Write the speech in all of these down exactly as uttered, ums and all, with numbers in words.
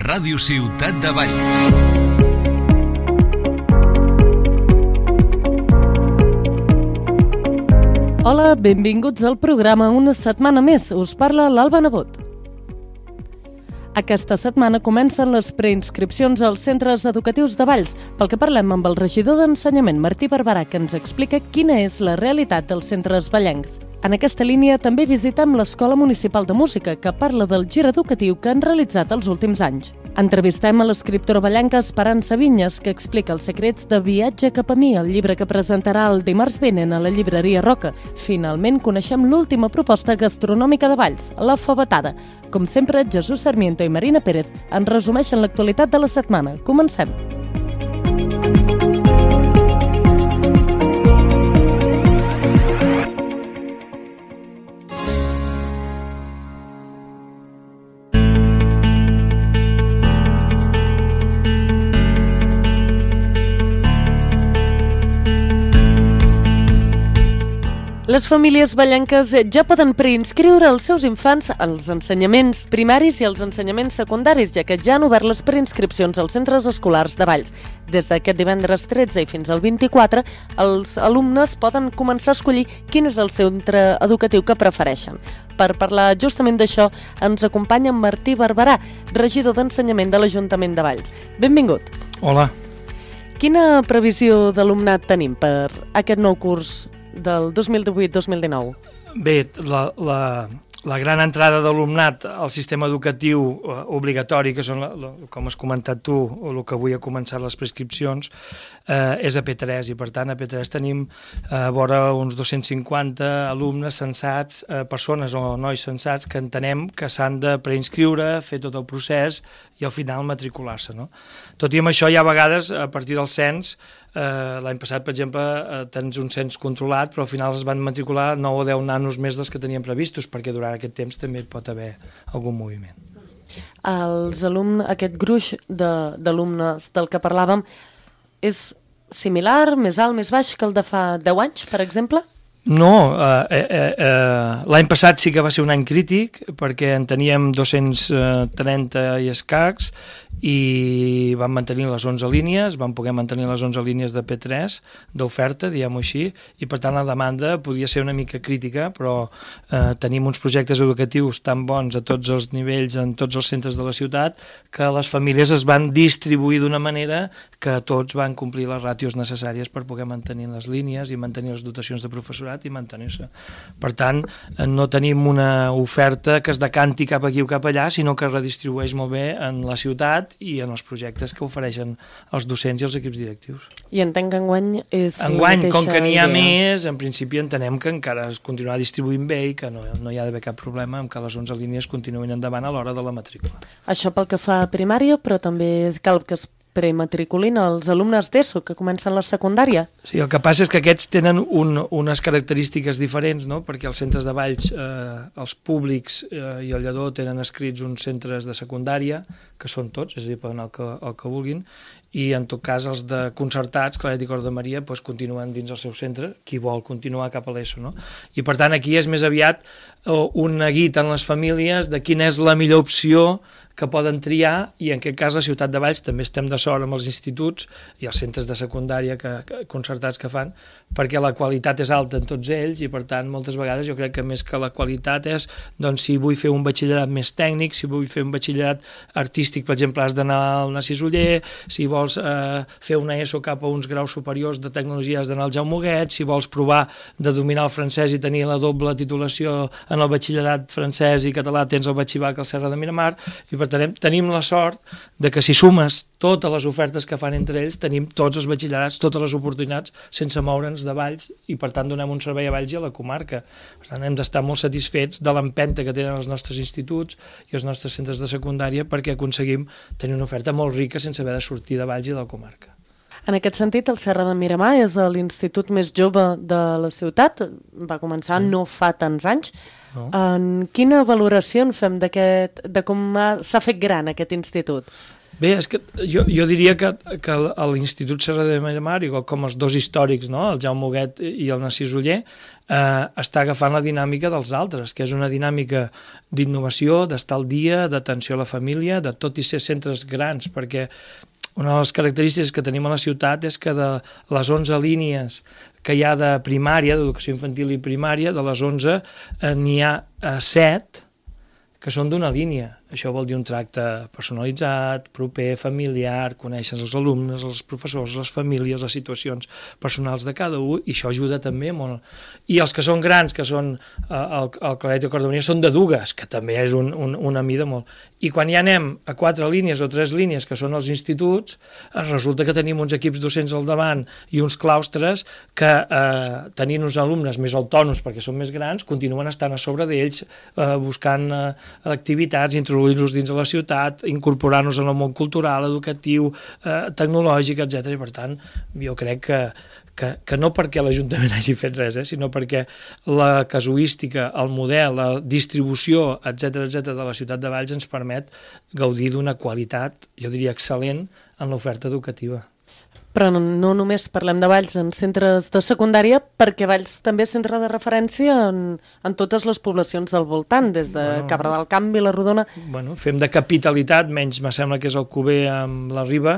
Ràdio Ciutat de Valls. Hola, benvinguts al programa una setmana més. Us parla l'Alba Nebot. Aquesta setmana comencen les preinscripcions als centres educatius de Valls, pel que parlem amb el regidor d'Ensenyament, Martí Barberà, que ens explica quina és la realitat dels centres vallencs. En aquesta línia també visitem l'Escola Municipal de Música, que parla del gir educatiu que han realitzat els últims anys. Entrevistem a l'escriptora vallenca Esperança Vinyes, que explica els secrets de Viatge cap a mi, el llibre que presentarà el dimarts vinent a la llibreria Roca. Finalment coneixem l'última proposta gastronòmica de Valls, la favetada. Com sempre, Jesús Sarmiento i Marina Pérez ens resumeixen l'actualitat de la setmana. Comencem. Les famílies vallenques ja poden preinscriure els seus infants als ensenyaments primaris i als ensenyaments secundaris, ja que ja han obert les preinscripcions als centres escolars de Valls. Des d'aquest divendres tretze i fins al vint-i-quatre, els alumnes poden començar a escollir quin és el centre educatiu que prefereixen. Per parlar justament d'això, ens acompanya Martí Barberà, regidor d'Ensenyament de l'Ajuntament de Valls. Benvingut. Hola. Quina previsió d'alumnat tenim per aquest nou curs del dos mil divuit dos mil dinou? Bé, la, la, la gran entrada d'alumnat al sistema educatiu eh, obligatori, que són, la, la, com has comentat tu, o el que avui ha començat les prescripcions, eh, és a P tres, i per tant a P tres tenim eh, vora uns dos-cents cinquanta alumnes censats, eh, persones o nois censats que entenem que s'han de preinscriure, fer tot el procés i al final matricular-se, no? Tot i amb això, hi ha vegades, a partir del cens, eh, l'any passat, per exemple, eh, tens un cens controlat, però al final es van matricular nou o deu nanos més dels que tenien previstos, perquè durant aquest temps també pot haver algun moviment. Els alumnes, aquest gruix d'alumnes del que parlàvem, és similar, més alt, més baix que el de fa deu anys, per exemple? No, eh, eh, eh, l'any passat sí que va ser un any crític perquè en teníem dos-cents trenta i escacs i vam mantenir les onze línies, vam poder mantenir les onze línies de P tres d'oferta, diguem-ho així, i per tant la demanda podia ser una mica crítica, però eh, tenim uns projectes educatius tan bons a tots els nivells, en tots els centres de la ciutat, que les famílies es van distribuir d'una manera que tots van complir les ràtios necessàries per poder mantenir les línies i mantenir les dotacions de professorat i mantenir-se. Per tant, no tenim una oferta que es decanti cap aquí o cap allà, sinó que es redistribueix molt bé en la ciutat i en els projectes que ofereixen els docents i els equips directius. I entenc que enguany és enguany, la mateixa com que n'hi ha idea. més, en principi entenem que encara es continuarà distribuint bé i que no, no hi ha d'haver cap problema amb que les onze línies continuïn endavant a l'hora de la matrícula. Això pel que fa a primària, però també cal que es prematriculin els alumnes d'ESO que comencen la secundària. Sí, el que passa és que aquests tenen un, unes característiques diferents, no? Perquè els centres de Valls, eh, els públics eh, i el Lledó tenen escrits uns centres de secundària, que són tots, és a dir, poden anar el que, el que vulguin, i en tot cas els de concertats, Claret i Cor de Maria, doncs, continuen dins el seu centre, qui vol continuar cap a l'ESO, no? I per tant aquí és més aviat un neguit en les famílies de quina és la millor opció que poden triar, i en aquest cas la ciutat de Valls també estem de sort amb els instituts i els centres de secundària que, que, concertats que fan, perquè la qualitat és alta en tots ells i per tant moltes vegades jo crec que més que la qualitat és, doncs si vull fer un batxillerat més tècnic, si vull fer un batxillerat artístic, per exemple, has d'anar al Narcís Oller, si vols eh, fer una ESO cap a uns graus superiors de tecnologia has d'anar al Jaume Huguet, si vols provar de dominar el francès i tenir la doble titulació en el batxillerat francès i català tens el batxibac al Serra de Miramar, i per tant tenim la sort de que si sumes totes les ofertes que fan entre ells, tenim tots els batxillerats, totes les oportunitats, sense moure'ns de Valls, i per tant donem un servei a Valls i a la comarca. Per tant, hem d'estar molt satisfets de l'empenta que tenen els nostres instituts i els nostres centres de secundària perquè aconseguim tenir una oferta molt rica sense haver de sortir de Valls i de la comarca. En aquest sentit, el Serra de Miramar és l'institut més jove de la ciutat, va començar no fa tants anys. No. En quina valoració en fem d'aquest, de com s'ha fet gran aquest institut? Bé, és que jo, jo diria que, que l'Institut Serra de Miramar, igual com els dos històrics, no? El Jaume Huguet i el Narcís Oller, eh, està agafant la dinàmica dels altres, que és una dinàmica d'innovació, d'estar al dia, d'atenció a la família, de tot i ser centres grans, perquè una de les característiques que tenim a la ciutat és que de les onze línies que hi ha de primària, d'educació infantil i primària, de les onze eh, n'hi ha eh, set que són d'una línia. Això vol dir un tracte personalitzat, proper, familiar, conèixer els alumnes, els professors, les famílies, les situacions personals de cada un, i això ajuda també molt. I els que són grans, que són eh, el, el Claret i el Cordonia, són de dues, que també és un, un, una mida molt. I quan ja anem a quatre línies o tres línies, que són els instituts, resulta que tenim uns equips docents al davant i uns claustres que, eh, tenint uns alumnes més autònoms perquè són més grans, continuen estant a sobre d'ells, eh, buscant eh, activitats, introduir-los dins de la ciutat, incorporar-nos en el món cultural, educatiu, eh, tecnològic, etcètera. I per tant, jo crec que, que, que no perquè l'Ajuntament hagi fet res, eh, sinó perquè la casuística, el model, la distribució, etcètera, etcètera, de la ciutat de Valls ens permet gaudir d'una qualitat, jo diria, excel·lent en l'oferta educativa. Però no, no només parlem de Valls en centres de secundària, perquè Valls també és centre de referència en, en totes les poblacions del voltant, des de bueno, Cabra del Camp, Vilarrodona... Bueno, fem de capitalitat, menys me sembla que és el Cuber amb la Riba,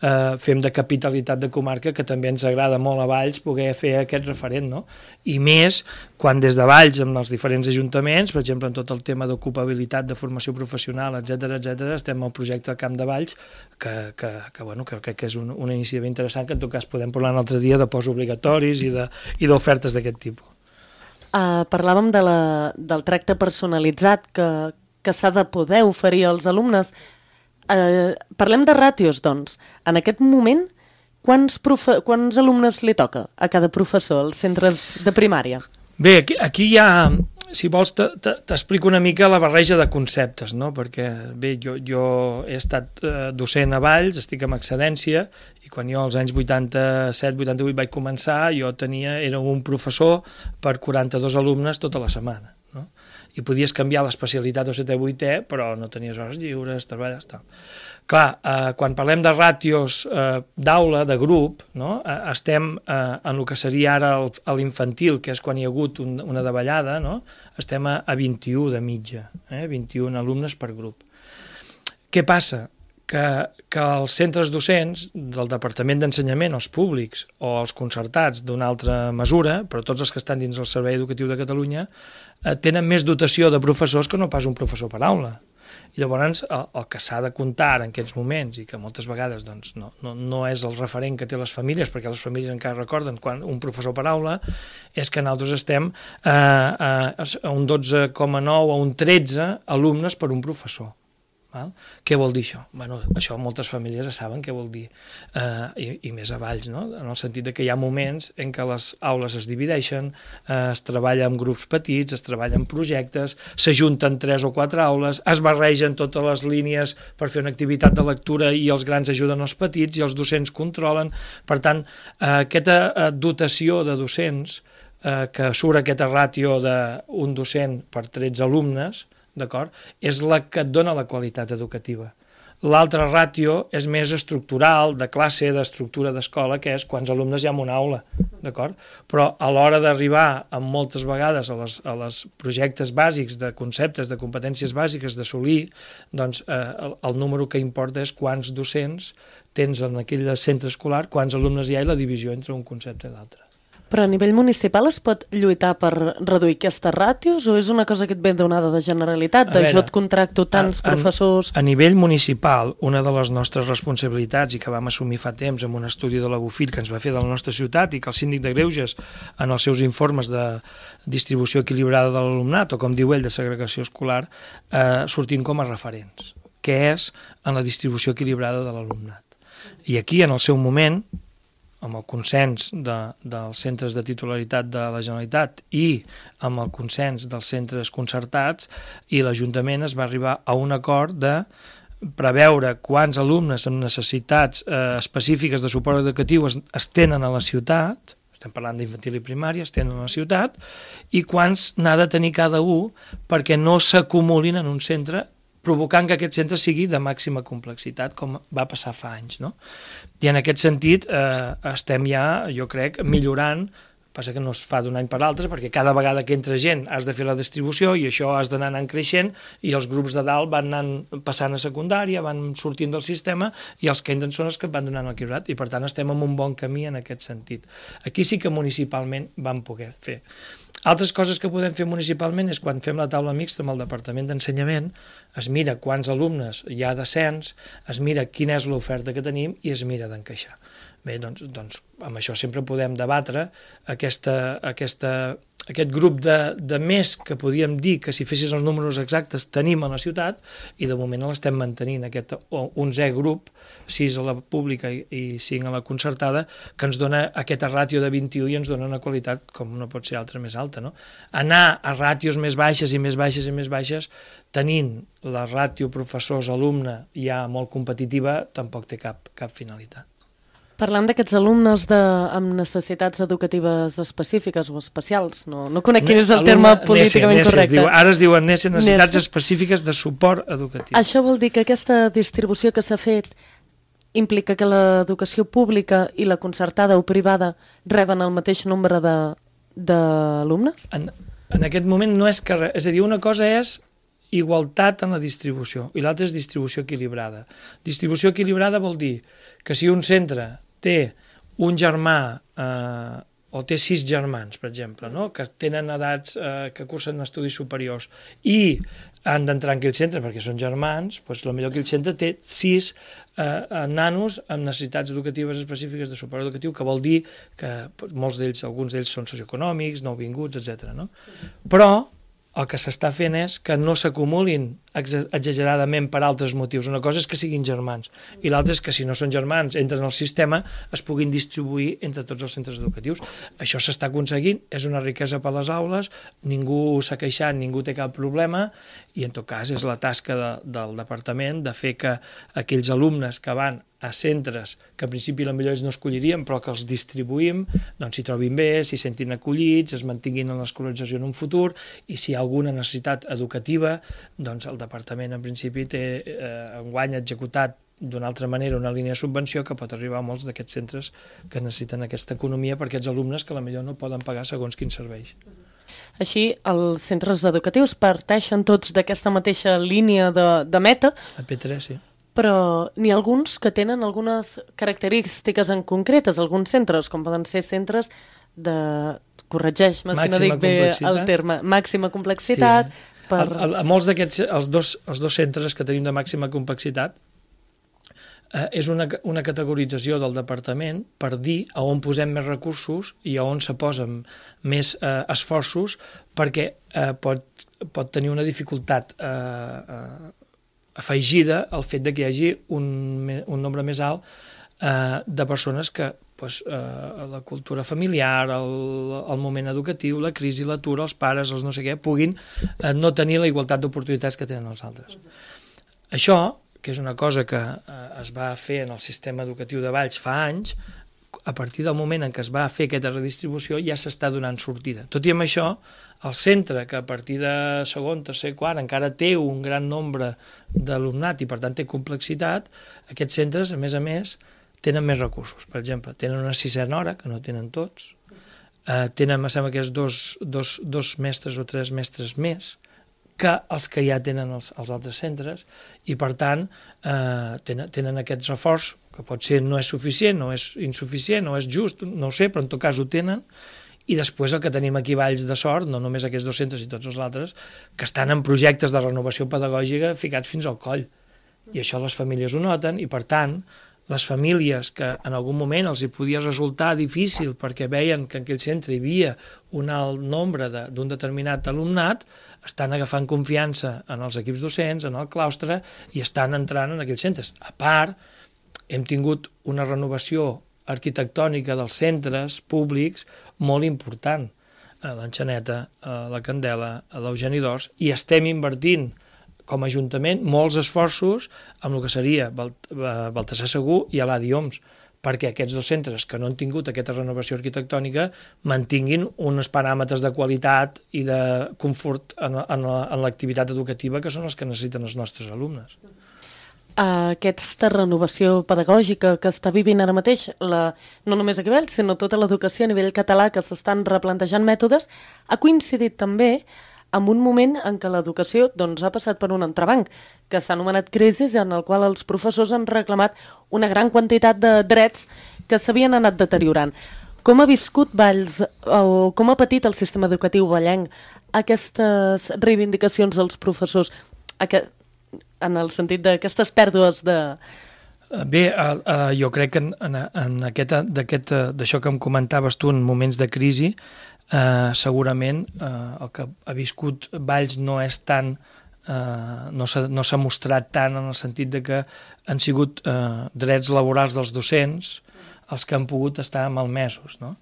eh, fem de capitalitat de comarca, que també ens agrada molt a Valls poder fer aquest referent, no? I més quan des de Valls, amb els diferents ajuntaments, per exemple, en tot el tema d'ocupabilitat, de formació professional, etcètera, etcètera, estem al projecte del Camp de Valls, que, que, que, bueno, que crec que és un, una iniciativa interessant, que en tot cas podem parlar un altre dia de postobligatoris i d'ofertes d'aquest tipus. Uh, parlàvem de la, del tracte personalitzat que, que s'ha de poder oferir als alumnes. Uh, parlem de ràtios, doncs. En aquest moment, quants, profe quants alumnes li toca a cada professor als centres de primària? Bé, aquí, aquí hi ha... Si vols, t'explico una mica la barreja de conceptes, no? Perquè bé, jo, jo he estat eh, docent a Valls, estic en excedència, i quan jo als anys vuitanta-set vuitanta-vuit vaig començar, jo tenia, era un professor per quaranta-dos alumnes tota la setmana, no? I podies canviar l'especialitat o setè vuitè, però no tenies hores lliures, treballes, tal. Clar, eh, quan parlem de ràtios eh, d'aula, de grup, no? eh, estem eh, en el que seria ara el, l'infantil, que és quan hi ha hagut un, una davallada, no? Estem a, a vint-i-u de mitja, eh? vint-i-un alumnes per grup. Què passa? Que, que els centres docents del Departament d'Ensenyament, els públics o els concertats d'una altra mesura, però tots els que estan dins del Servei Educatiu de Catalunya, eh, tenen més dotació de professors que no pas un professor per aula. I llavors el, el que s'ha de comptar en aquests moments, i que moltes vegades doncs, no, no, no és el referent que té les famílies, perquè les famílies encara recorden quan un professor per aula, és que nosaltres estem eh, a un dotze coma nou o un tretze alumnes per un professor. Val? Què vol dir això? Bueno, això moltes famílies ja saben què vol dir, eh, i, i més a Valls, no? En el sentit de que hi ha moments en què les aules es divideixen, eh, es treballa en grups petits, es treballa en projectes, s'ajunten tres o quatre aules, es barregen totes les línies per fer una activitat de lectura i els grans ajuden els petits i els docents controlen. Per tant, eh, aquesta eh, dotació de docents, eh, que surt aquesta ràtio d'un docent per tretze alumnes, d'acord? És la que et dona la qualitat educativa. L'altra ràtio és més estructural, de classe, d'estructura d'escola, que és quants alumnes hi ha en una aula, d'acord? Però a l'hora d'arribar, amb moltes vegades, a les, a les projectes bàsics de conceptes, de competències bàsiques d'assolir, doncs eh, el, el número que importa és quants docents tens en aquell centre escolar, quants alumnes hi ha i la divisió entre un concepte i l'altre. Però a nivell municipal es pot lluitar per reduir aquestes ràtios o és una cosa que et ve donada de Generalitat, de jo et contracto tants a, professors... A, a nivell municipal, una de les nostres responsabilitats i que vam assumir fa temps amb un estudi de la Bofill que ens va fer de la nostra ciutat i que el síndic de Greuges en els seus informes de distribució equilibrada de l'alumnat o com diu ell de segregació escolar eh, sortint com a referents, que és en la distribució equilibrada de l'alumnat. I aquí en el seu moment, amb el consens de, dels centres de titularitat de la Generalitat i amb el consens dels centres concertats i l'Ajuntament es va arribar a un acord de preveure quants alumnes amb necessitats eh, específiques de suport educatiu es, es tenen a la ciutat, estem parlant d'infantil i primària, es tenen a la ciutat, i quants n'ha de tenir cada un perquè no s'acumulin en un centre provocant que aquest centre sigui de màxima complexitat, com va passar fa anys, no? I en aquest sentit eh, estem ja, jo crec, millorant. Passa que no es fa d'un any per l'altre, perquè cada vegada que entra gent has de fer la distribució i això has d'anar anant creixent i els grups de dalt van anant passant a secundària, van sortint del sistema i els que entren són els que van donant l'equilibrat i per tant estem en un bon camí en aquest sentit. Aquí sí que municipalment vam poder fer. Altres coses que podem fer municipalment és quan fem la taula mixta amb el Departament d'Ensenyament, es mira quants alumnes hi ha de cens, es mira quina és l'oferta que tenim i es mira d'encaixar. Bé, doncs, doncs amb això sempre podem debatre aquesta, aquesta, aquest grup de, de més que podíem dir que si fessis els números exactes tenim a la ciutat i de moment l'estem mantenint, aquest onzè grup, sis a la pública i, i cinc a la concertada, que ens dona aquesta ràtio de vint-i-u i ens dona una qualitat com no pot ser altra més alta. No? Anar a ràtios més baixes i més baixes i més baixes tenint la ràtio professors-alumne ja molt competitiva tampoc té cap, cap finalitat. Parlant d'aquests alumnes de, amb necessitats educatives específiques o especials, no, no conec quin és el terme políticament N E S E, correcte. es diu, ara es diuen N E S E, necessitats específiques de suport educatiu. Això vol dir que aquesta distribució que s'ha fet implica que l'educació pública i la concertada o privada reben el mateix nombre d'alumnes? En, en aquest moment no és que... És a dir, una cosa és igualtat en la distribució i l'altra és distribució equilibrada. Distribució equilibrada vol dir que si un centre té un germà eh, o té sis germans, per exemple, no? Que tenen edats eh, que cursen estudis superiors i han d'entrar en aquell centre perquè són germans, doncs potser aquell centre té sis eh, nanos amb necessitats educatives específiques de suport educatiu, que vol dir que molts d'ells, alguns d'ells són socioeconòmics, nouvinguts, etcètera. No? Però el que s'està fent és que no s'acumulin exageradament per altres motius. Una cosa és que siguin germans i l'altra és que si no són germans, entren al sistema, es puguin distribuir entre tots els centres educatius. Això s'està aconseguint, és una riquesa per les aules, ningú s'ha queixat, ningú té cap problema i en tot cas és la tasca de, del departament de fer que aquells alumnes que van a centres que en principi potser ells no escollirien però que els distribuïm, doncs s'hi trobin bé, s'hi sentin acollits, es mantinguin en l'escolarització en un futur i si hi ha alguna necessitat educativa, doncs el departament en principi té eh, enguany executat d'una altra manera una línia de subvenció que pot arribar a molts d'aquests centres que necessiten aquesta economia per aquests alumnes que potser no poden pagar segons quins serveis. Així, els centres educatius parteixen tots d'aquesta mateixa línia de, de meta. A P tres, sí. Però n'hi ha alguns que tenen algunes característiques en concretes, alguns centres, com poden ser centres de... corregeix-me si no dic bé el terme, màxima complexitat. Sí. Per... A, a, a molts d'aquests, els dos, els dos centres que tenim de màxima complexitat, eh, és una, una categorització del departament per dir a on posem més recursos i a on se posen més eh, esforços perquè eh, pot, pot tenir una dificultat eh, eh, afegida al fet de que hi hagi un, un nombre més alt eh, de persones que pues, eh, la cultura familiar, el, el moment educatiu, la crisi, l'atur, els pares, els no sé què, puguin eh, no tenir la igualtat d'oportunitats que tenen els altres. Això, que és una cosa que eh, es va fer en el sistema educatiu de Valls fa anys, a partir del moment en què es va fer aquesta redistribució ja s'està donant sortida. Tot i amb això, el centre, que a partir de segon, tercer, quart, encara té un gran nombre d'alumnat i per tant té complexitat, aquests centres, a més a més, tenen més recursos. Per exemple, tenen una sisena hora, que no tenen tots, eh, tenen, em sembla que és dos, dos, dos mestres o tres mestres més que els que ja tenen els, els altres centres i per tant eh, tenen, tenen aquest reforç que pot ser no és suficient, no és insuficient, no és just, no ho sé, però en tot cas ho tenen. I després el que tenim aquí a Valls de Sort, no només aquests dos centres i tots els altres, que estan en projectes de renovació pedagògica ficats fins al coll. I això les famílies ho noten i, per tant, les famílies que en algun moment els hi podia resultar difícil perquè veien que en aquell centre hi havia un alt nombre d'un de, determinat alumnat, estan agafant confiança en els equips docents, en el claustre, i estan entrant en aquells centres. A part, hem tingut una renovació arquitectònica dels centres públics molt important, a l'Enxaneta, a la Candela, a l'Eugeni d'Ors, i estem invertint com a Ajuntament molts esforços amb el que seria Baltasar Segur i a l'A D I O M S, perquè aquests dos centres que no han tingut aquesta renovació arquitectònica mantinguin uns paràmetres de qualitat i de confort en, en, en l'activitat educativa que són els que necessiten els nostres alumnes. Aquesta renovació pedagògica que està vivint ara mateix, la, no només aquí a Valls, sinó tota l'educació a nivell català, que s'estan replantejant mètodes, ha coincidit també amb un moment en què l'educació doncs, ha passat per un entrebanc, que s'ha anomenat crisi, en el qual els professors han reclamat una gran quantitat de drets que s'havien anat deteriorant. Com ha viscut Valls, o com ha patit el sistema educatiu vallenc aquestes reivindicacions dels professors, aquest, en el sentit d'aquestes pèrdues de... Bé, uh, uh, jo crec que en, en, en aquest, d'aquest, d'això que em comentaves tu en moments de crisi, uh, segurament uh, el que ha viscut Valls no és tan, uh, no s'ha no s'ha mostrat tant en el sentit de que han sigut uh, drets laborals dels docents els que han pogut estar malmesos, no?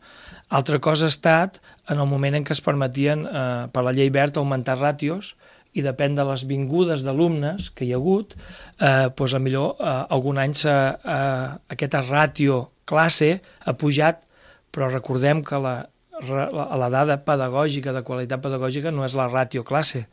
Altra cosa ha estat en el moment en què es permetien uh, per la llei Wert augmentar ràtios, i depèn de les vingudes d'alumnes que hi ha hagut, eh, doncs a millor eh, algun any eh, aquesta ràtio classe ha pujat, però recordem que la, la, la dada pedagògica, de qualitat pedagògica, no és la ràtio classe,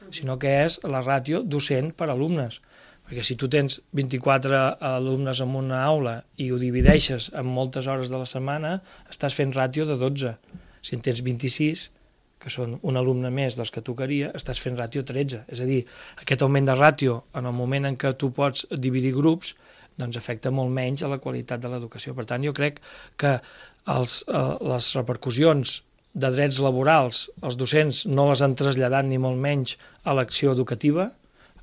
sinó que és la ràtio docent per alumnes. Perquè si tu tens vint-i-quatre alumnes en una aula i ho divideixes en moltes hores de la setmana, estàs fent ràtio de dotze. Si en tens vint-i-sis, que són un alumne més dels que tocaria, estàs fent ràtio tretze. És a dir, aquest augment de ràtio, en el moment en què tu pots dividir grups, doncs afecta molt menys a la qualitat de l'educació. Per tant, jo crec que els, eh, les repercussions de drets laborals, els docents no les han traslladat ni molt menys a l'acció educativa,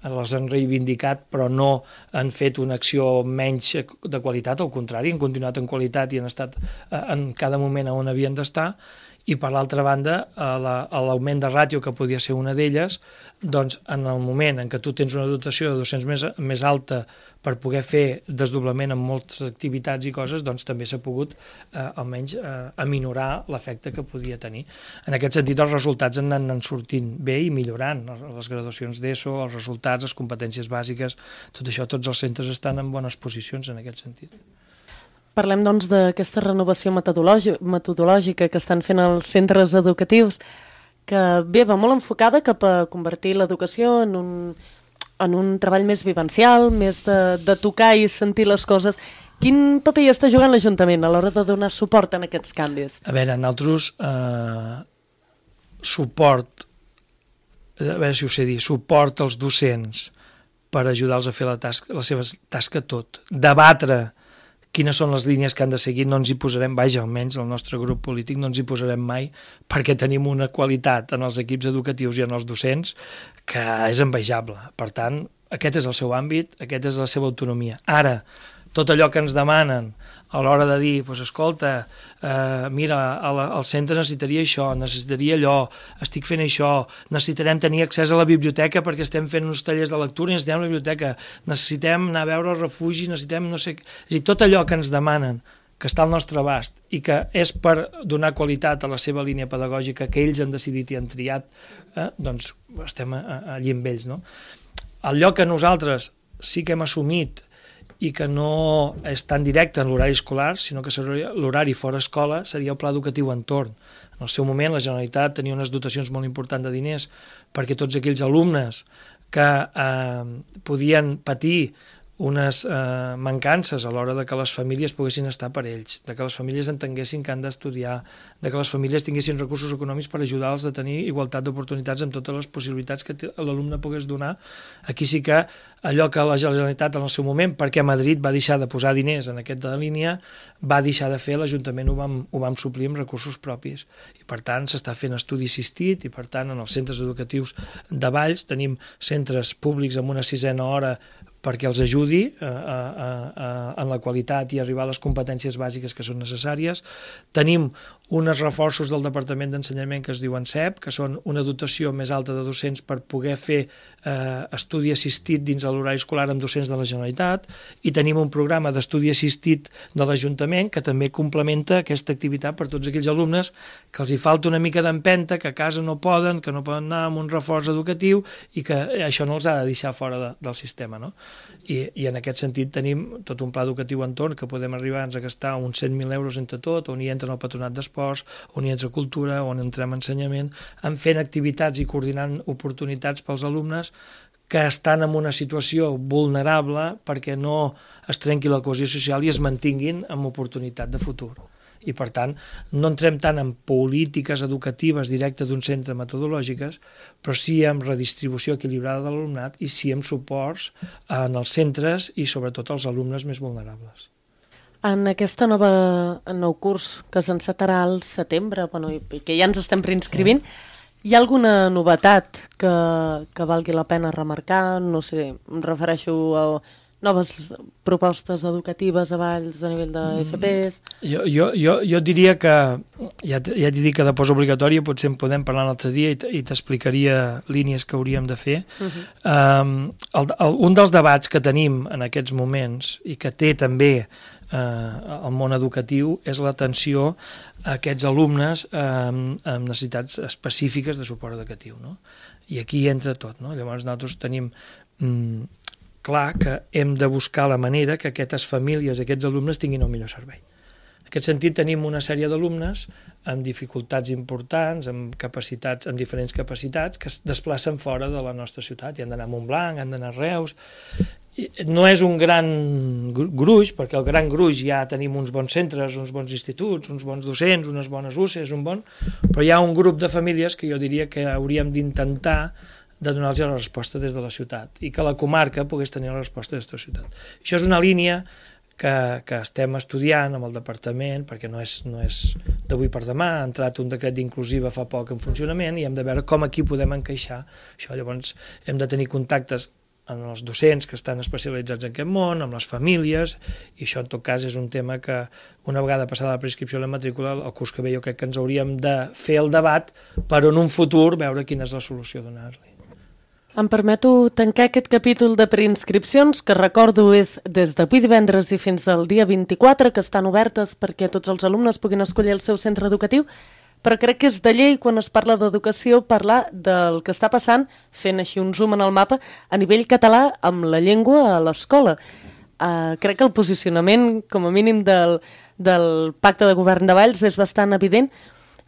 les han reivindicat, però no han fet una acció menys de qualitat, al contrari, han continuat en qualitat i han estat en cada moment on havien d'estar. I per l'altra banda, l'augment de ràtio, que podia ser una d'elles, doncs en el moment en què tu tens una dotació de docents més, més alta per poder fer desdoblament en moltes activitats i coses, doncs també s'ha pogut eh, almenys eh, aminorar l'efecte que podia tenir. En aquest sentit, els resultats han anat sortint bé i millorant. Les graduacions d'ESO, els resultats, les competències bàsiques, tot això, tots els centres estan en bones posicions en aquest sentit. Parlem, doncs, d'aquesta renovació metodològica que estan fent els centres educatius, que bé, va molt enfocada cap a convertir l'educació en un, en un treball més vivencial, més de, de tocar i sentir les coses. Quin paper hi està jugant l'Ajuntament a l'hora de donar suport en aquests canvis? A veure, nosaltres, eh, suport, a veure si ho sé dir, suport als docents per ajudar-los a fer la, tasca, la seva tasca tot, debatre quines són les línies que han de seguir, no ens hi posarem, vaja, almenys el nostre grup polític no ens hi posarem mai, perquè tenim una qualitat en els equips educatius i en els docents que és envejable. Per tant, aquest és el seu àmbit, aquesta és la seva autonomia. Ara, tot allò que ens demanen a l'hora de dir, doncs, escolta, eh, mira, al, al centre necessitaria això, necessitaria allò, estic fent això, necessitarem tenir accés a la biblioteca perquè estem fent uns tallers de lectura i necessitem la biblioteca, necessitem anar a veure el refugi, necessitem no sé... És a dir, tot allò que ens demanen, que està al nostre abast i que és per donar qualitat a la seva línia pedagògica que ells han decidit i han triat, eh, doncs estem allí amb ells, no? El lloc que nosaltres sí que hem assumit i que no és tan directe en l'horari escolar, sinó que l'horari fora escola seria el pla educatiu entorn. En el seu moment la Generalitat tenia unes dotacions molt importants de diners perquè tots aquells alumnes que eh, podien patir unes eh, mancances a l'hora de que les famílies poguessin estar per ells, de que les famílies entenguessin que han d'estudiar, de que les famílies tinguessin recursos econòmics per ajudar-los a tenir igualtat d'oportunitats amb totes les possibilitats que l'alumne pogués donar. Aquí sí que allò que la Generalitat en el seu moment, perquè Madrid va deixar de posar diners en aquesta línia, va deixar de fer, l'Ajuntament ho vam, ho vam suplir amb recursos propis. I per tant s'està fent estudi assistit i per tant en els centres educatius de Valls tenim centres públics amb una sisena hora perquè els ajudi a, a, a, en la qualitat i arribar a les competències bàsiques que són necessàries. Tenim uns reforços del Departament d'Ensenyament que es diuen C E P, que són una dotació més alta de docents per poder fer eh, estudi assistit dins de l'horari escolar amb docents de la Generalitat, i tenim un programa d'estudi assistit de l'Ajuntament que també complementa aquesta activitat per tots aquells alumnes que els hi falta una mica d'empenta, que a casa no poden, que no poden anar amb un reforç educatiu i que això no els ha de deixar fora de, del sistema, no? i, i en aquest sentit tenim tot un pla educatiu entorn que podem arribar a gastar uns cent mil euros entre tot, on hi entra el patronat d'esports, on hi entra cultura, on entrem ensenyament, en fent activitats i coordinant oportunitats pels alumnes que estan en una situació vulnerable perquè no es trenqui la cohesió social i es mantinguin amb oportunitat de futur. I, per tant, no entrem tant en polítiques educatives directes d'un centre metodològiques, però sí en redistribució equilibrada de l'alumnat i sí en suports en els centres i, sobretot, als alumnes més vulnerables. En aquesta nova en nou curs que s'encetarà al setembre, bueno, i que ja ens estem reinscrivint, hi ha alguna novetat que, que valgui la pena remarcar? No sé, em refereixo a noves propostes educatives a Valls a nivell de F Ps? Jo, jo, jo, jo diria que, ja, ja t'he dit que de postobligatòria potser en podem parlar un altre dia i t'explicaria línies que hauríem de fer. Uh-huh. um, el, el, un dels debats que tenim en aquests moments i que té també eh, el món educatiu és l'atenció a aquests alumnes eh, amb, amb necessitats específiques de suport educatiu, no? I aquí entra tot, no? Llavors nosaltres tenim mm, clar que hem de buscar la manera que aquestes famílies, aquests alumnes tinguin el millor servei. En aquest sentit tenim una sèrie d'alumnes amb dificultats importants, amb capacitats, amb diferents capacitats, que es desplacen fora de la nostra ciutat i han d'anar a Montblanc, han d'anar a Reus. I no és un gran gruix, perquè el gran gruix ja tenim uns bons centres, uns bons instituts, uns bons docents, unes bones U C Es, un bon... però hi ha un grup de famílies que jo diria que hauríem d'intentar de donar-los la resposta des de la ciutat i que la comarca pogués tenir la resposta des de la ciutat. Això és una línia que, que estem estudiant amb el departament, perquè no és, no és d'avui per demà, ha entrat un decret d'inclusiva fa poc en funcionament i hem de veure com aquí podem encaixar això. Llavors hem de tenir contactes amb els docents que estan especialitzats en aquest món, amb les famílies, i això en tot cas és un tema que una vegada passada la prescripció i la matrícula, el curs que ve jo crec que ens hauríem de fer el debat per en un futur veure quina és la solució a donar-li. Em permeto tancar aquest capítol de preinscripcions, que recordo és des d'avui divendres i fins al dia vint-i-quatre, que estan obertes perquè tots els alumnes puguin escollir el seu centre educatiu, però crec que és de llei, quan es parla d'educació, parlar del que està passant, fent així un zoom en el mapa, a nivell català amb la llengua a l'escola. Uh, crec que el posicionament, com a mínim, del, del pacte de govern de Valls és bastant evident,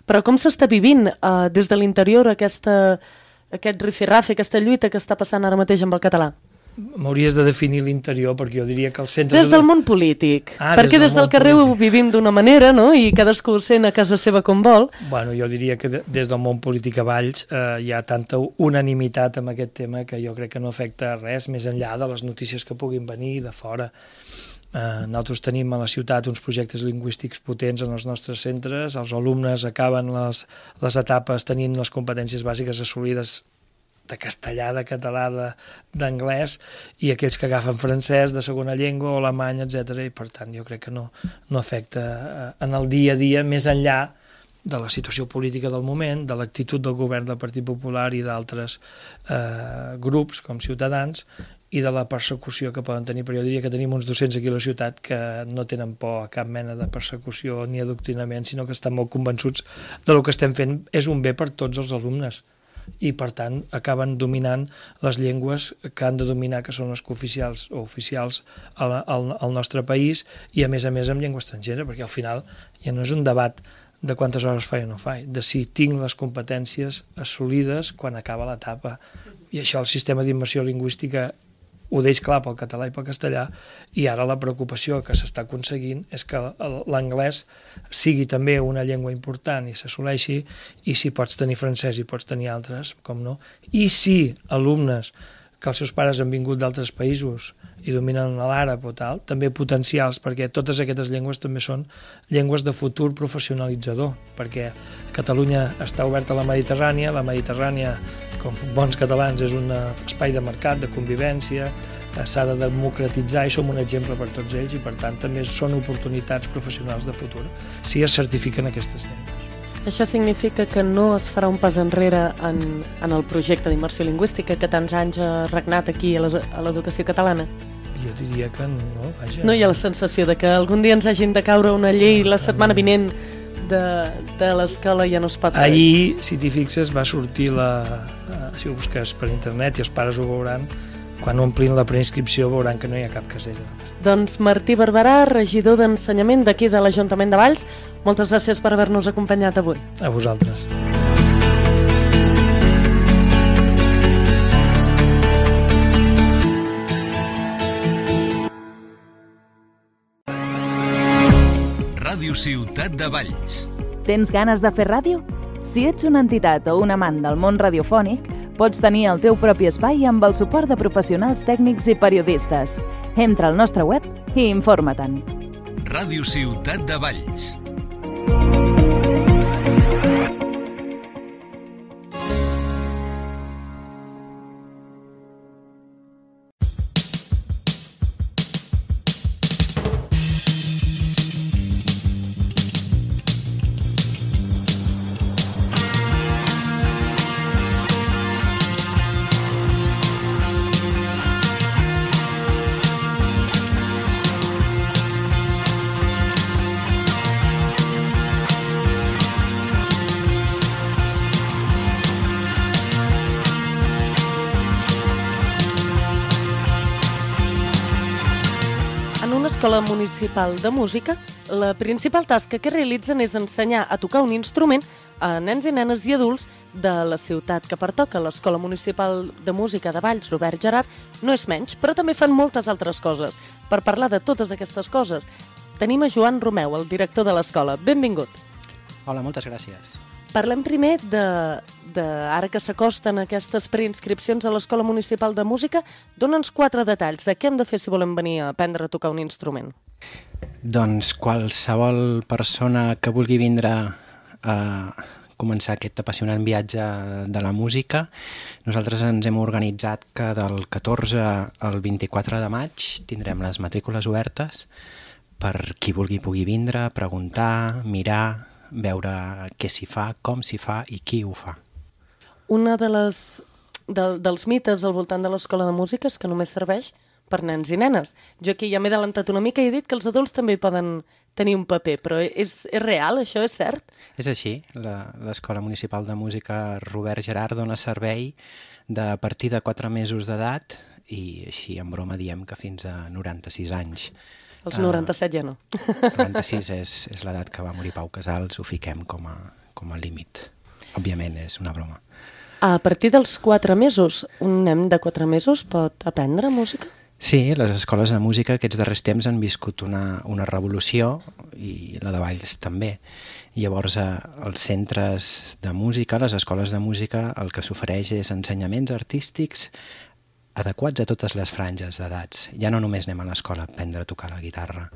però com s'està vivint uh, des de l'interior aquesta... aquest rifirrafe, aquesta lluita que està passant ara mateix amb el català? M'hauries de definir l'interior, perquè jo diria que els centres... Des del món polític, ah, perquè des, des del carrer polític ho vivim d'una manera, no? I cadascú ho sent a casa seva com vol. Bueno, jo diria que des del món polític a Valls eh, hi ha tanta unanimitat amb aquest tema que jo crec que no afecta res, més enllà de les notícies que puguin venir de fora. Eh, nosaltres tenim a la ciutat uns projectes lingüístics potents en els nostres centres, els alumnes acaben les, les etapes tenint les competències bàsiques assolides de castellà, de català, d'anglès, i aquells que agafen francès de segona llengua o alemany, etcètera. I per tant jo crec que no, no afecta eh, en el dia a dia, més enllà de la situació política del moment, de l'actitud del govern del Partit Popular i d'altres eh, grups com Ciutadans, i de la persecució que poden tenir, però jo diria que tenim uns docents aquí a la ciutat que no tenen por a cap mena de persecució ni adoctrinament, sinó que estan molt convençuts de lo que estem fent és un bé per tots els alumnes i per tant acaben dominant les llengües que han de dominar, que són les cooficials o oficials al, al, al nostre país, i a més a més amb llengua estrangera, perquè al final ja no és un debat de quantes hores faig o no faig, de si tinc les competències assolides quan acaba l'etapa. I això el sistema d'immersió lingüística ho deix clar pel català i pel castellà, i ara la preocupació que s'està aconseguint és que l'anglès sigui també una llengua important i s'assoleixi, i si pots tenir francès i pots tenir altres, com no, i si alumnes que els seus pares han vingut d'altres països i dominen l'àrab o tal, també potencials, perquè totes aquestes llengües també són llengües de futur professionalitzador, perquè Catalunya està oberta a la Mediterrània, la Mediterrània, com bons catalans, és un espai de mercat, de convivència, s'ha de democratitzar i som un exemple per tots ells, i per tant també són oportunitats professionals de futur si es certifiquen aquestes llengües. Això significa que no es farà un pas enrere en, en el projecte d'immersió lingüística que tants anys ha regnat aquí a l'educació catalana? Jo diria que no, vaja. No hi ha la sensació de que algun dia ens hagin de caure una llei la setmana vinent de, de l'escola ja no es pot... Ahir, si t'hi fixes, va sortir la... si ho busques per internet i els pares ho veuran, quan omplin la preinscripció veuran que no hi ha cap casella. Doncs Martí Barberà, regidor d'Ensenyament d'aquí de l'Ajuntament de Valls, moltes gràcies per haver-nos acompanyat avui. A vosaltres. Ràdio Ciutat de Valls. Tens ganes de fer ràdio? Si ets una entitat o un amant del món radiofònic, pots tenir el teu propi espai amb el suport de professionals tècnics i periodistes. Entra al nostre web i informa-te'n. Ràdio Ciutat de Valls. Escola Municipal de Música, la principal tasca que realitzen és ensenyar a tocar un instrument a nens i nenes i adults de la ciutat que pertoca. L'Escola Municipal de Música de Valls, Robert Gerard, no és menys, però també fan moltes altres coses. Per parlar de totes aquestes coses, tenim a Joan Romeu, el director de l'escola. Benvingut. Hola, moltes gràcies. Parlem primer de, de ara que s'acosten aquestes preinscripcions a l'Escola Municipal de Música. Dóna'ns quatre detalls de què hem de fer si volem venir a aprendre a tocar un instrument. Doncs qualsevol persona que vulgui vindre a començar aquest apassionant viatge de la música, nosaltres ens hem organitzat que del catorze al vint-i-quatre de maig tindrem les matrícules obertes per qui vulgui pugui vindre, preguntar, mirar, veure què s'hi fa, com s'hi fa i qui ho fa. Una de les, de, dels mites al voltant de l'escola de música és que només serveix per nens i nenes. Jo aquí ja m'he adelantat una mica i he dit que els adults també poden tenir un paper, però és, és real, això és cert? És així. L'Escola Municipal de Música Robert Gerard dona servei de a partir de quatre mesos d'edat i així en broma diem que fins a noranta-sis anys. Els noranta-set ja no. noranta-sis és, és l'edat que va morir Pau Casals, ho fiquem com a, com a límit. Òbviament és una broma. A partir dels quatre mesos, un nen de quatre mesos pot aprendre música? Sí, les escoles de música aquests darrers temps han viscut una, una revolució i la de Valls també. Llavors, als centres de música, les escoles de música, el que s'ofereix és ensenyaments artístics adequats a totes les franges d'edats. Ja no només anem a l'escola a aprendre a tocar la guitarra,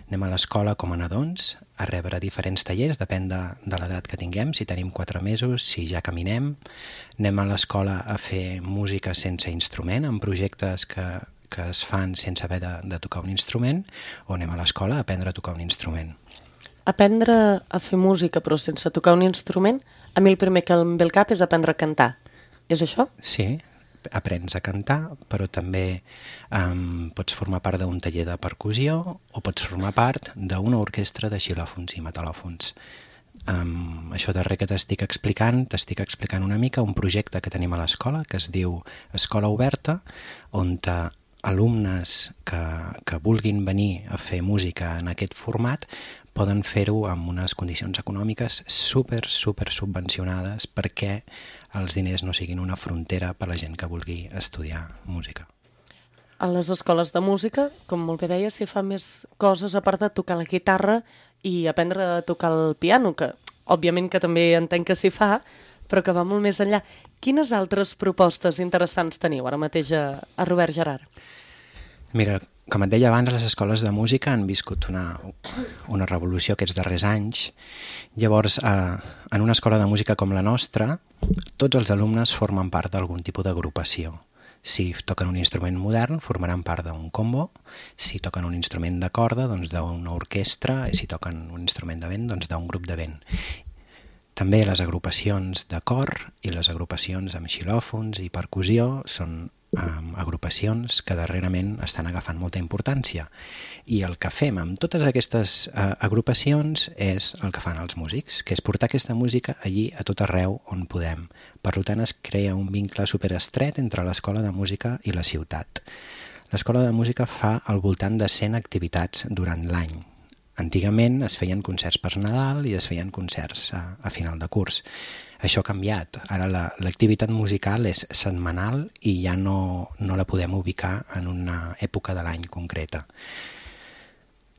anem a l'escola com a nadons a rebre diferents tallers, depèn de, de l'edat que tinguem, si tenim quatre mesos, si ja caminem, anem a l'escola a fer música sense instrument, amb projectes que, que es fan sense haver de, de tocar un instrument, o anem a l'escola a aprendre a tocar un instrument. Aprendre a fer música però sense tocar un instrument, a mi el primer que em ve al cap és aprendre a cantar. És això? Sí, aprens a cantar, però també um, pots formar part d'un taller de percussió o pots formar part d'una orquestra de xilòfons i metal·lòfons. Um, això darrer que t'estic explicant, t'estic explicant una mica un projecte que tenim a l'escola que es diu Escola Oberta, on alumnes que, que vulguin venir a fer música en aquest format poden fer-ho amb unes condicions econòmiques super, super subvencionades perquè els diners no siguin una frontera per a la gent que vulgui estudiar música. A les escoles de música, com molt bé deia, s'hi fa més coses a part de tocar la guitarra i aprendre a tocar el piano, que òbviament que també entenc que s'hi fa, però que va molt més enllà. Quines altres propostes interessants teniu ara mateix a, a Robert Gerard? Mira, com et deia abans, les escoles de música han viscut una, una revolució aquests darrers anys. Llavors, eh, en una escola de música com la nostra, tots els alumnes formen part d'algun tipus d'agrupació. Si toquen un instrument modern, formaran part d'un combo. Si toquen un instrument de corda, doncs d'una orquestra. I si toquen un instrument de vent, doncs d'un grup de vent. També les agrupacions de cor i les agrupacions amb xilòfons i percussió són um, agrupacions que darrerament estan agafant molta importància. I el que fem amb totes aquestes uh, agrupacions és el que fan els músics, que és portar aquesta música allí a tot arreu on podem. Per tant, es crea un vincle superestret entre l'Escola de Música i la ciutat. L'Escola de Música fa al voltant de cent activitats durant l'any. Antigament es feien concerts per Nadal i es feien concerts a, a final de curs. Això ha canviat. Ara la, l'activitat musical és setmanal i ja no, no la podem ubicar en una època de l'any concreta.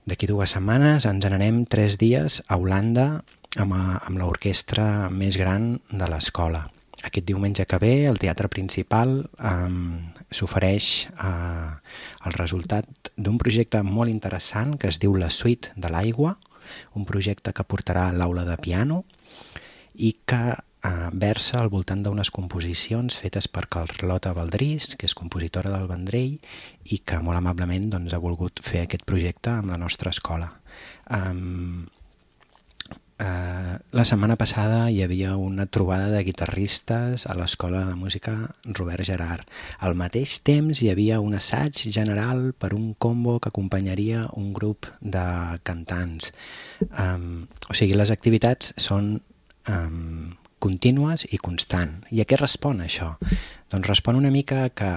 D'aquí dues setmanes ens n'anem tres dies a Holanda amb, a, amb l'orquestra més gran de l'escola. Aquest diumenge que ve, el teatre principal um, s'ofereix uh, el resultat d'un projecte molt interessant que es diu La Suite de l'Aigua, un projecte que portarà a l'aula de piano i que uh, versa al voltant d'unes composicions fetes per Carlota Baldrís, que és compositora del Vendrell i que molt amablement doncs, ha volgut fer aquest projecte amb la nostra escola. Um, Uh, la setmana passada hi havia una trobada de guitarristes a l'Escola de Música Robert Gerhard. Al mateix temps hi havia un assaig general per un combo que acompanyaria un grup de cantants. Um, o sigui, les activitats són um, contínues i constant. I a què respon això? Doncs respon una mica que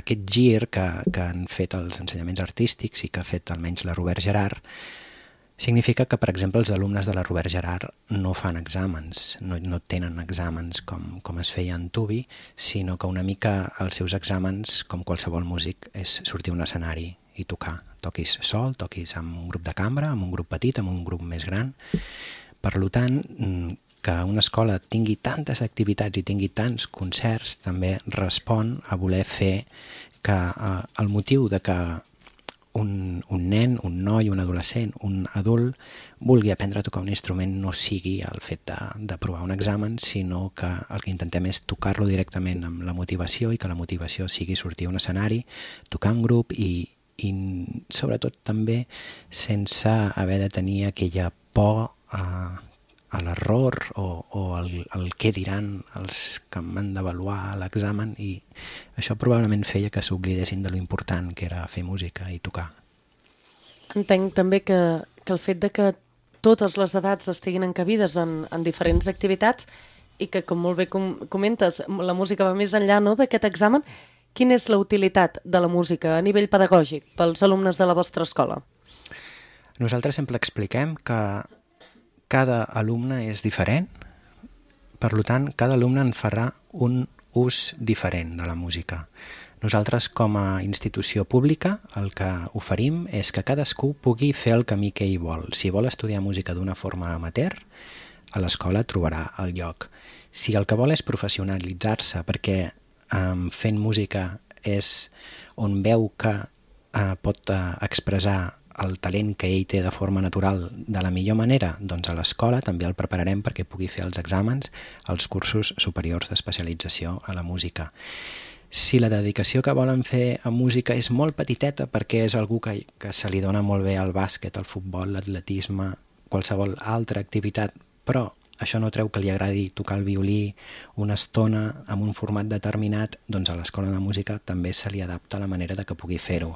aquest gir que, que han fet els ensenyaments artístics i que ha fet almenys la Robert Gerhard significa que, per exemple, els alumnes de la Robert Gerhard no fan exàmens, no, no tenen exàmens com, com es feia en Tubi, sinó que una mica els seus exàmens, com qualsevol músic, és sortir a un escenari i tocar. Toquis sol, toquis amb un grup de cambra, amb un grup petit, amb un grup més gran. Per tant, que una escola tingui tantes activitats i tingui tants concerts també respon a voler fer que eh, el motiu de que Un, un nen, un noi, un adolescent, un adult vulgui aprendre a tocar un instrument no sigui el fet de, de provar un examen, sinó que el que intentem és tocar-lo directament amb la motivació i que la motivació sigui sortir a un escenari, tocar en grup i, i sobretot també sense haver de tenir aquella por a, a l'error o, o el, el què diran els que m'han d'avaluar l'examen, i això probablement feia que s'oblidessin de lo important que era fer música i tocar. Entenc també que, que el fet de que totes les edats estiguin encabides en, en diferents activitats i que, com molt bé com, comentes, la música va més enllà, no?, d'aquest examen. Quina és la utilitat de la música a nivell pedagògic pels alumnes de la vostra escola? Nosaltres sempre expliquem que cada alumne és diferent, per tant, cada alumne en farà un ús diferent de la música. Nosaltres, com a institució pública, el que oferim és que cadascú pugui fer el camí que ell vol. Si vol estudiar música d'una forma amateur, a l'escola trobarà el lloc. Si el que vol és professionalitzar-se perquè um, fent música és on veu que uh, pot uh, expressar el talent que ell té de forma natural de la millor manera, doncs a l'escola també el prepararem perquè pugui fer els exàmens als cursos superiors d'especialització a la música. Si la dedicació que volen fer a música és molt petiteta perquè és algú que, que se li dona molt bé al bàsquet, al futbol, l'atletisme, qualsevol altra activitat, però això no treu que li agradi tocar el violí una estona amb un format determinat, doncs a l'escola de música també se li adapta la manera de que pugui fer-ho.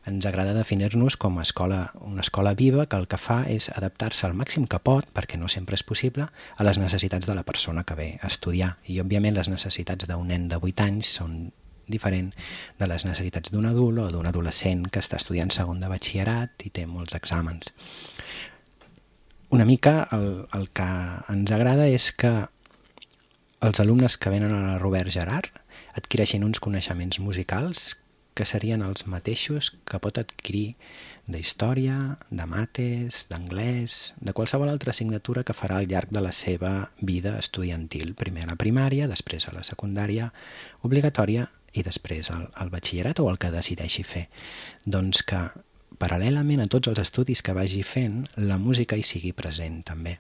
Ens agrada definir-nos com a escola, una escola viva que el que fa és adaptar-se al màxim que pot, perquè no sempre és possible, a les necessitats de la persona que ve a estudiar. I, òbviament, les necessitats d'un nen de vuit anys són diferents de les necessitats d'un adult o d'un adolescent que està estudiant segon de batxillerat i té molts exàmens. Una mica el, el que ens agrada és que els alumnes que venen a la Robert Gerhard adquireixin uns coneixements musicals que serien els mateixos que pot adquirir d'història, de mates, d'anglès, de qualsevol altra assignatura que farà al llarg de la seva vida estudiantil, primer a la primària, després a la secundària obligatòria i després al, al batxillerat o el que decideixi fer. Doncs que, paral·lelament a tots els estudis que vagi fent, la música hi sigui present també.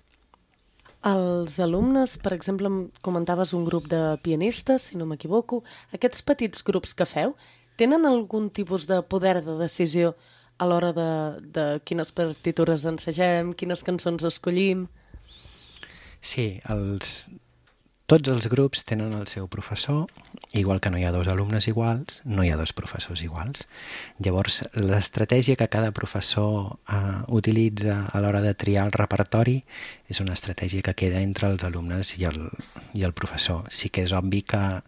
Els alumnes, per exemple, comentaves un grup de pianistes, si no m'equivoco, aquests petits grups que feu, tenen algun tipus de poder de decisió a l'hora de, de quines partitures ensegem, quines cançons escollim? Sí, els, tots els grups tenen el seu professor, igual que no hi ha dos alumnes iguals, no hi ha dos professors iguals. Llavors, l'estratègia que cada professor eh, utilitza a l'hora de triar el repertori és una estratègia que queda entre els alumnes i el, i el professor. Sí que és obvi que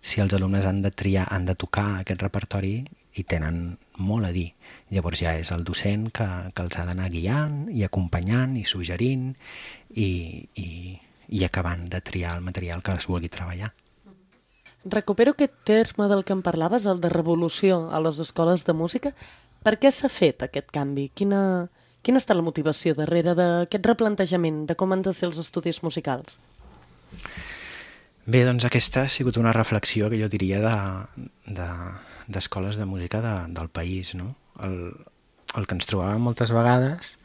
si els alumnes han de triar, han de tocar aquest repertori, hi tenen molt a dir. Llavors ja és el docent que, que els ha d'anar guiant i acompanyant i suggerint i, i, i acabant de triar el material que es vulgui treballar. Recupero aquest terme del que em parlaves, el de revolució a les escoles de música. Per què s'ha fet aquest canvi? Quina, quina està la motivació darrere d'aquest replantejament de com han de ser els estudis musicals? Bé, doncs aquesta ha sigut una reflexió que jo diria d'escoles de, de, de música de, del país, no? El, el que ens trobàvem moltes vegades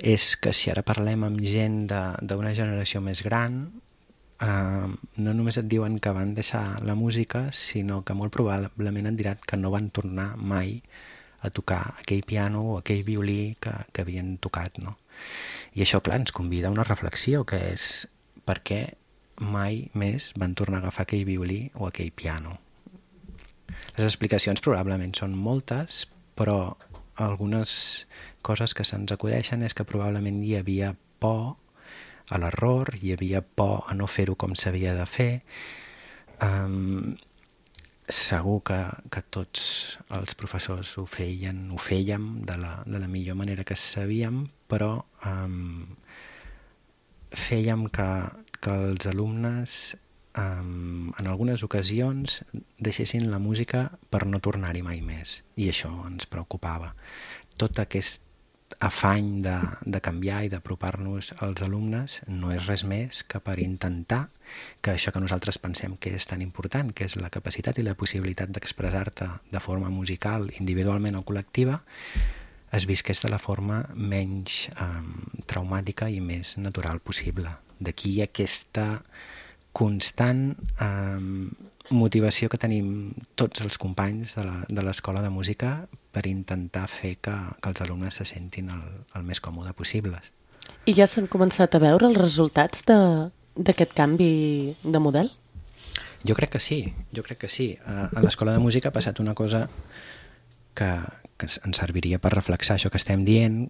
és que si ara parlem amb gent d'una generació més gran, eh, no només et diuen que van deixar la música, sinó que molt probablement et diran que no van tornar mai a tocar aquell piano o aquell violí que, que havien tocat, no? I això, clar, ens convida a una reflexió, que és per què mai més van tornar a agafar aquell violí o aquell piano. Les explicacions probablement són moltes, però algunes coses que se'ns acudeixen és que probablement hi havia por a l'error, hi havia por a no fer-ho com s'havia de fer. Um, segur que, que tots els professors ho feien, ho fèiem de la, de la millor manera que sabíem, però um, fèiem que, que els alumnes Um, en algunes ocasions deixessin la música per no tornar-hi mai més, i això ens preocupava. Tot aquest afany de, de canviar i d'apropar-nos als alumnes no és res més que per intentar que això que nosaltres pensem que és tan important, que és la capacitat i la possibilitat d'expressar-te de forma musical, individualment o col·lectiva, es visqués de la forma menys um, traumàtica i més natural possible. D'aquí aquesta constant eh, motivació que tenim tots els companys de l'escola de, de música per intentar fer que, que els alumnes se sentin el, el més còmode possibles. I ja s'han començat a veure els resultats d'aquest canvi de model? Jo crec que sí, jo crec que sí. A, a l'escola de música ha passat una cosa que, que ens serviria per reflexar això que estem dient,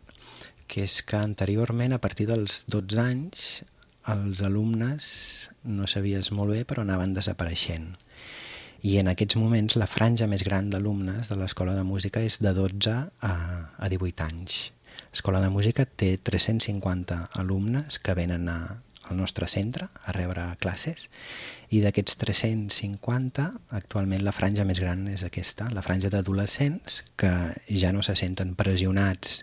que és que anteriorment, a partir dels dotze anys, els alumnes, no sabies molt bé, però anaven desapareixent. I en aquests moments la franja més gran d'alumnes de l'escola de música és de dotze a, a divuit anys. L'escola de música té tres-cents cinquanta alumnes que venen a, al nostre centre a rebre classes, i d'aquests tres-cents cinquanta, actualment la franja més gran és aquesta, la franja d'adolescents que ja no se senten pressionats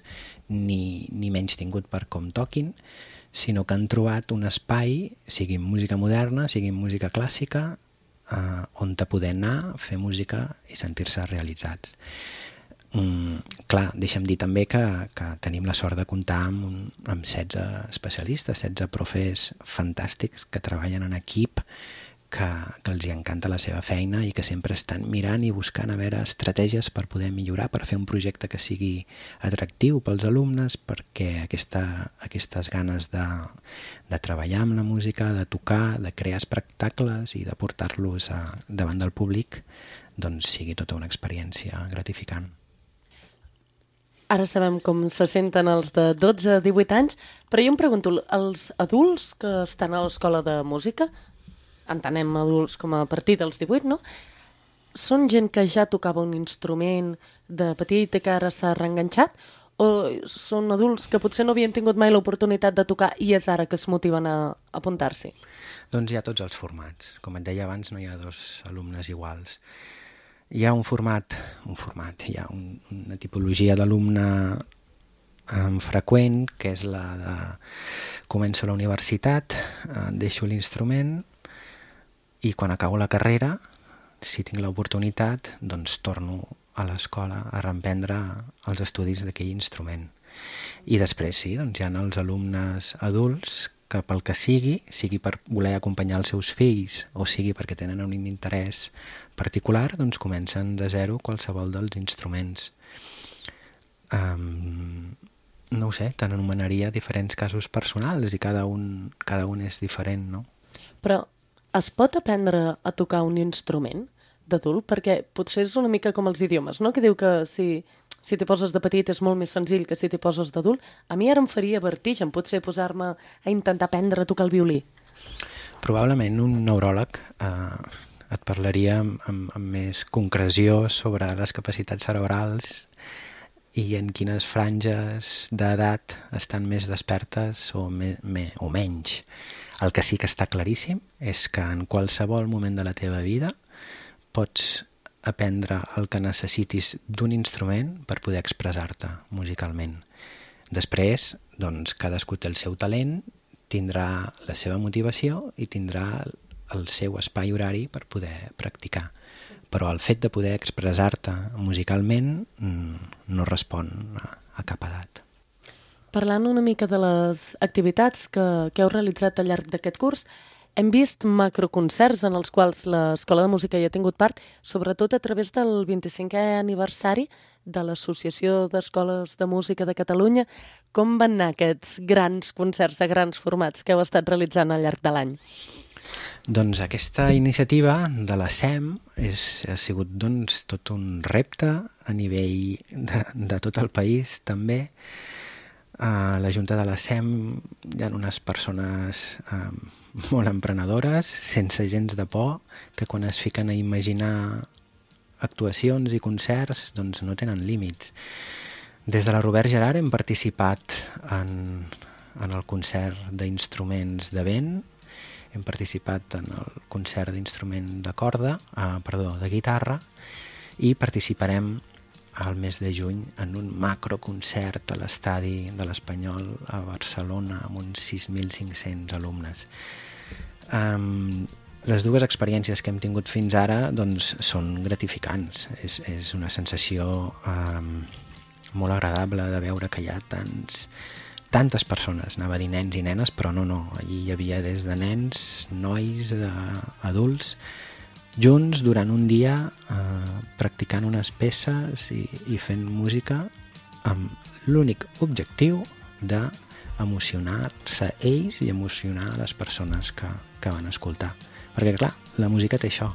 ni, ni menys tingut per com toquin, sinó que han trobat un espai, sigui música moderna, sigui música clàssica, eh, on te poder anar, fer música i sentir-se realitzats. Mm, clar, deixa'm dir també que, que tenim la sort de comptar amb, un, amb setze especialistes, setze profes fantàstics que treballen en equip, que, que els hi encanta la seva feina i que sempre estan mirant i buscant a veure estratègies per poder millorar, per fer un projecte que sigui atractiu pels alumnes, perquè aquesta, aquestes ganes de, de treballar amb la música, de tocar, de crear espectacles i de portar-los a, davant del públic, doncs sigui tota una experiència gratificant. Ara sabem com se senten els de dotze a divuit anys, però jo em pregunto, els adults que estan a l'escola de música, entenem adults com a partir dels divuit, no? Són gent que ja tocava un instrument de petit i que ara s'ha reenganxat? O són adults que potser no havien tingut mai l'oportunitat de tocar i és ara que es motiven a apuntar-s'hi? Doncs hi ha tots els formats. Com et deia abans, no hi ha dos alumnes iguals. Hi ha un format, un format, hi ha un, una tipologia d'alumne um, freqüent, que és la de començo a la universitat, uh, deixo l'instrument, i quan acabo la carrera, si tinc l'oportunitat, doncs torno a l'escola a reemprendre els estudis d'aquell instrument. I després sí, doncs hi ha els alumnes adults que pel que sigui, sigui per voler acompanyar els seus fills o sigui perquè tenen un interès particular, doncs comencen de zero qualsevol dels instruments. Um, no ho sé, te n'anomenaria diferents casos personals i cada un, cada un és diferent, no? Però es pot aprendre a tocar un instrument d'adult? Perquè potser és una mica com els idiomes, no? Que diu que si, si t'hi poses de petit és molt més senzill que si t'hi poses d'adult. A mi ara em faria vertigen potser posar-me a intentar aprendre a tocar el violí. Probablement un neuròleg eh, et parlaria amb, amb, amb més concreció sobre les capacitats cerebrals i en quines franges d'edat estan més despertes o, me, me, o menys. El que sí que està claríssim és que en qualsevol moment de la teva vida pots aprendre el que necessitis d'un instrument per poder expressar-te musicalment. Després, doncs, cadascú té el seu talent, tindrà la seva motivació i tindrà el seu espai horari per poder practicar. Però el fet de poder expressar-te musicalment no respon a, a cap edat. Parlant una mica de les activitats que, que heu realitzat al llarg d'aquest curs, hem vist macroconcerts en els quals l'Escola de Música hi ha tingut part, sobretot a través del vint-i-cinquè aniversari de l'Associació d'Escoles de Música de Catalunya. Com van anar aquests grans concerts de grans formats que heu estat realitzant al llarg de l'any? Doncs aquesta iniciativa de la S E M és, ha sigut doncs, tot un repte a nivell de, de tot el país també. A la Junta de la S E M hi ha unes persones eh, molt emprenedores, sense gens de por, que quan es fiquen a imaginar actuacions i concerts doncs no tenen límits. Des de la Robert Gerhard hem participat en, en el concert d'instruments de vent, hem participat en el concert d'instrument de corda, eh, perdó, de guitarra, i participarem al mes de juny en un macroconcert a l'estadi de l'Espanyol a Barcelona amb uns sis mil cinc-cents alumnes. Um, les dues experiències que hem tingut fins ara doncs, són gratificants. És, és una sensació um, molt agradable de veure que hi ha tants, tantes persones, anava a dir nens i nenes, però no, no, allí hi havia des de nens, nois, eh, adults, junts durant un dia eh, practicant unes peces i, i fent música amb l'únic objectiu d'emocionar-se ells i emocionar les persones que, que van escoltar. Perquè clar, la música té això,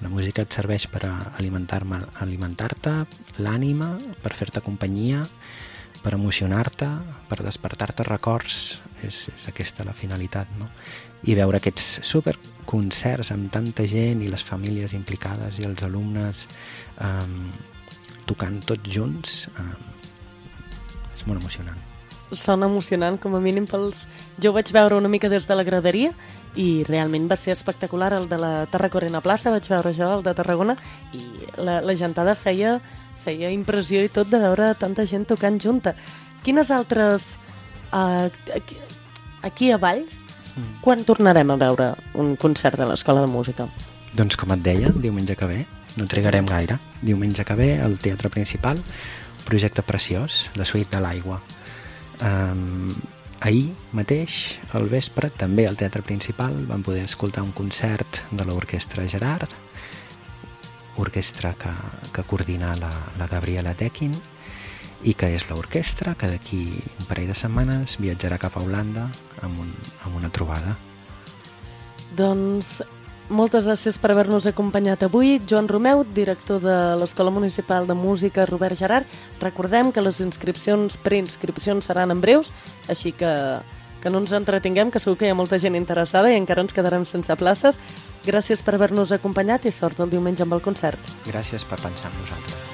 la música et serveix per alimentar-me, alimentar-te l'ànima, per fer-te companyia, per emocionar-te, per despertar-te records, és, és aquesta la finalitat, no? I veure aquests superconcerts amb tanta gent i les famílies implicades i els alumnes um, tocant tots junts um, és molt emocionant. Sona emocionant, com a mínim pels... Jo ho vaig veure una mica des de la graderia i realment va ser espectacular el de la Tarracorena Plaça, vaig veure jo el de Tarragona i la, la gentada feia, feia impressió i tot de veure tanta gent tocant junta. Quines altres... Uh, aquí, aquí a Valls, quan tornarem a veure un concert de l'Escola de Música? Doncs com et deia, diumenge que ve, no trigarem gaire. Diumenge que ve, al Teatre Principal, projecte preciós, La Suite de l'Aigua. Um, ahir mateix, al vespre, també al Teatre Principal, vam poder escoltar un concert de l'Orquestra Gerhard, orquestra que, que coordina la, la Gabriela Tekin, i que és l'orquestra que d'aquí un parell de setmanes viatjarà cap a Holanda amb, un, amb una trobada. Doncs moltes gràcies per haver-nos acompanyat avui. Joan Romeu, director de l'Escola Municipal de Música Robert Gerhard. Recordem que les inscripcions, preinscripcions seran en breus, així que, que no ens entretinguem, que segur que hi ha molta gent interessada i encara ens quedarem sense places. Gràcies per haver-nos acompanyat i sort el diumenge amb el concert. Gràcies per pensar en nosaltres.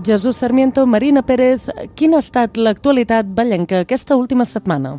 Jesús Sarmiento, Marina Pérez, quina ha estat l'actualitat vallenca aquesta última setmana?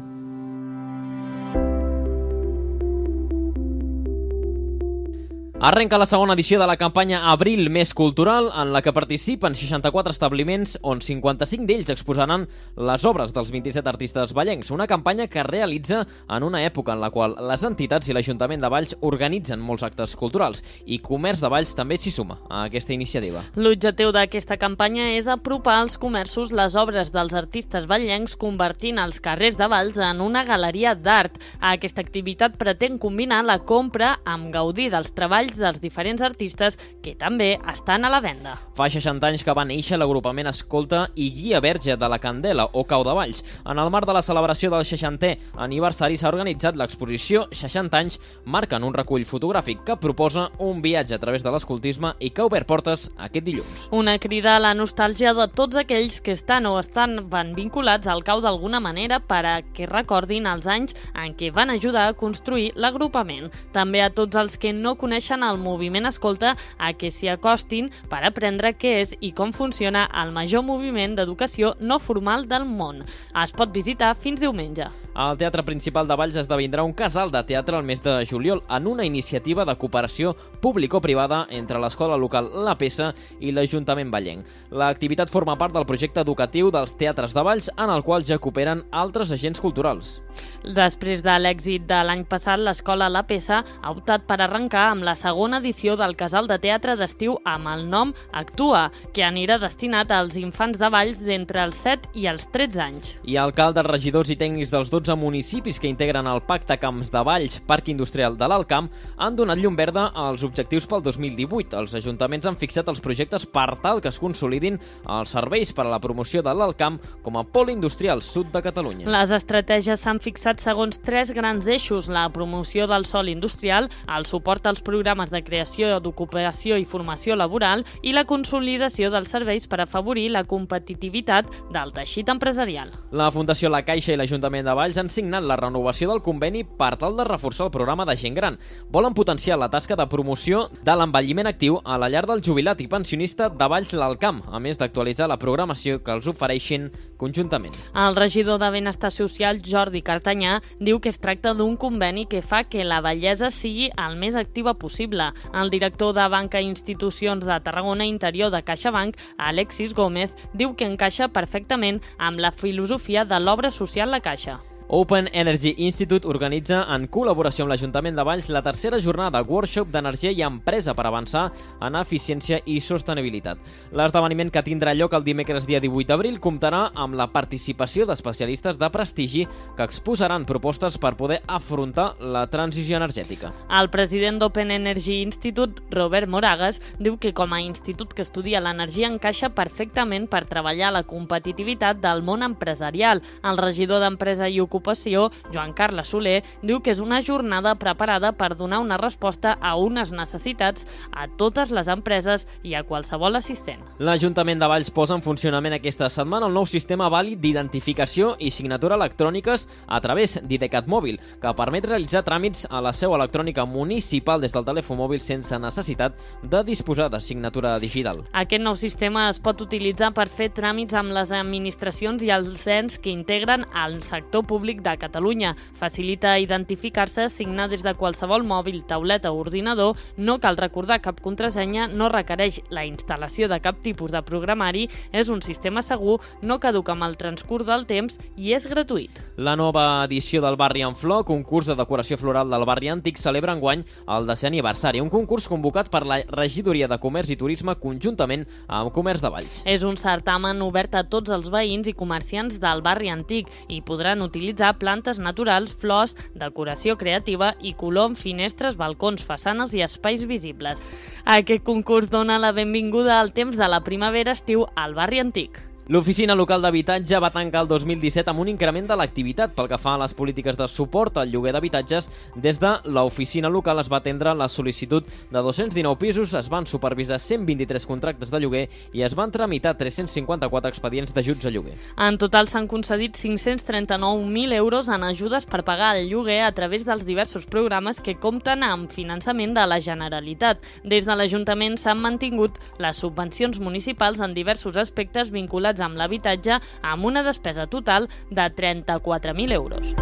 Arrenca la segona edició de la campanya Abril Més Cultural, en la que participen seixanta-quatre establiments, on cinquanta-cinc d'ells exposaran les obres dels vint-i-set artistes vallencs. Una campanya que es realitza en una època en la qual les entitats i l'Ajuntament de Valls organitzen molts actes culturals, i Comerç de Valls també s'hi suma a aquesta iniciativa. L'objectiu d'aquesta campanya és apropar als comerços les obres dels artistes vallencs, convertint els carrers de Valls en una galeria d'art. Aquesta activitat pretén combinar la compra amb gaudir dels treballs dels diferents artistes que també estan a la venda. Fa seixanta anys que va néixer l'agrupament Escolta i Guia Verge de la Candela, o Cau de Valls. En el marc de la celebració del seixantè aniversari s'ha organitzat l'exposició seixanta anys marquen un recull fotogràfic que proposa un viatge a través de l'escoltisme i que ha obert portes aquest dilluns. Una crida a la nostàlgia de tots aquells que estan o estan van vinculats al Cau d'alguna manera per a que recordin els anys en què van ajudar a construir l'agrupament. També a tots els que no coneixen el moviment Escolta a que s'hi acostin per aprendre què és i com funciona el major moviment d'educació no formal del món. Es pot visitar fins diumenge. Al Teatre Principal de Valls esdevindrà un casal de teatre al mes de juliol en una iniciativa de cooperació público-privada entre l'escola local La Peça i l'Ajuntament vallenc. L'activitat forma part del projecte educatiu dels teatres de Valls, en el qual ja cooperen altres agents culturals. Després de l'èxit de l'any passat, l'escola La Peça ha optat per arrencar amb la segona edició del casal de teatre d'estiu amb el nom Actua, que anirà destinat als infants de Valls d'entre els set i els tretze anys. I alcaldes, regidors i tècnics dels dotze municipis que integren el Pacte Camps de Valls, Parc Industrial de l'Alt Camp, han donat llum verda als objectius pel dos mil divuit. Els ajuntaments han fixat els projectes per tal que es consolidin els serveis per a la promoció de l'Alt Camp com a pol industrial sud de Catalunya. Les estratègies s'han fixat segons tres grans eixos: la promoció del sòl industrial, el suport als programes de creació d'ocupació i formació laboral i la consolidació dels serveis per afavorir la competitivitat del teixit empresarial. La Fundació La Caixa i l'Ajuntament de Valls han signat la renovació del conveni per tal de reforçar el programa de gent gran. Volen potenciar la tasca de promoció de l'envelliment actiu a la llar del jubilat i pensionista de Valls l'Alt Camp, a més d'actualitzar la programació que els ofereixin conjuntament. El regidor de Benestar Social, Jordi Cartanyà, diu que es tracta d'un conveni que fa que la vellesa sigui el més activa possible. El director de Banca i Institucions de Tarragona Interior de CaixaBank, Alexis Gómez, diu que encaixa perfectament amb la filosofia de l'obra social La Caixa. Open Energy Institute organitza, en col·laboració amb l'Ajuntament de Valls, la tercera jornada workshop d'energia i empresa per avançar en eficiència i sostenibilitat. L'esdeveniment, que tindrà lloc el dimecres dia divuit d'abril, comptarà amb la participació d'especialistes de prestigi que exposaran propostes per poder afrontar la transició energètica. El president d'Open Energy Institute, Robert Moragas, diu que com a institut que estudia l'energia encaixa perfectament per treballar la competitivitat del món empresarial. El regidor d'Empresa i Ocupació, Joan Carles Soler, diu que és una jornada preparada per donar una resposta a unes necessitats a totes les empreses i a qualsevol assistent. L'Ajuntament de Valls posa en funcionament aquesta setmana el nou sistema vàlid d'identificació i signatura electròniques a través d'IDeCAT Mòbil, que permet realitzar tràmits a la seu electrònica municipal des del telèfon mòbil sense necessitat de disposar de signatura digital. Aquest nou sistema es pot utilitzar per fer tràmits amb les administracions i els ens que integren el sector públic de Catalunya. Facilita identificar-se, signar des de qualsevol mòbil, tauleta o ordinador, no cal recordar cap contrasenya, no requereix la instal·lació de cap tipus de programari, és un sistema segur, no caduca amb el transcurs del temps i és gratuït. La nova edició del Barri en Flor, concurs de decoració floral del barri antic, celebra enguany el desè aniversari, un concurs convocat per la Regidoria de Comerç i Turisme conjuntament amb Comerç de Valls. És un certamen obert a tots els veïns i comerciants del barri antic i podran utilitzar plantes naturals, flors, decoració creativa i color en finestres, balcons, façanes i espais visibles. Aquest concurs dona la benvinguda al temps de la primavera-estiu al barri antic. L'Oficina Local d'Habitatge va tancar el dos mil disset amb un increment de l'activitat pel que fa a les polítiques de suport al lloguer d'habitatges. Des de l'oficina local es va atendre la sol·licitud de dos-cents dinou pisos, es van supervisar cent vint-i-tres contractes de lloguer i es van tramitar tres-cents cinquanta-quatre expedients d'ajuts a lloguer. En total s'han concedit cinc-cents trenta-nou mil euros en ajudes per pagar el lloguer a través dels diversos programes que compten amb finançament de la Generalitat. Des de l'Ajuntament s'han mantingut les subvencions municipals en diversos aspectes vinculats amb l'habitatge, amb una despesa total de trenta-quatre mil euros.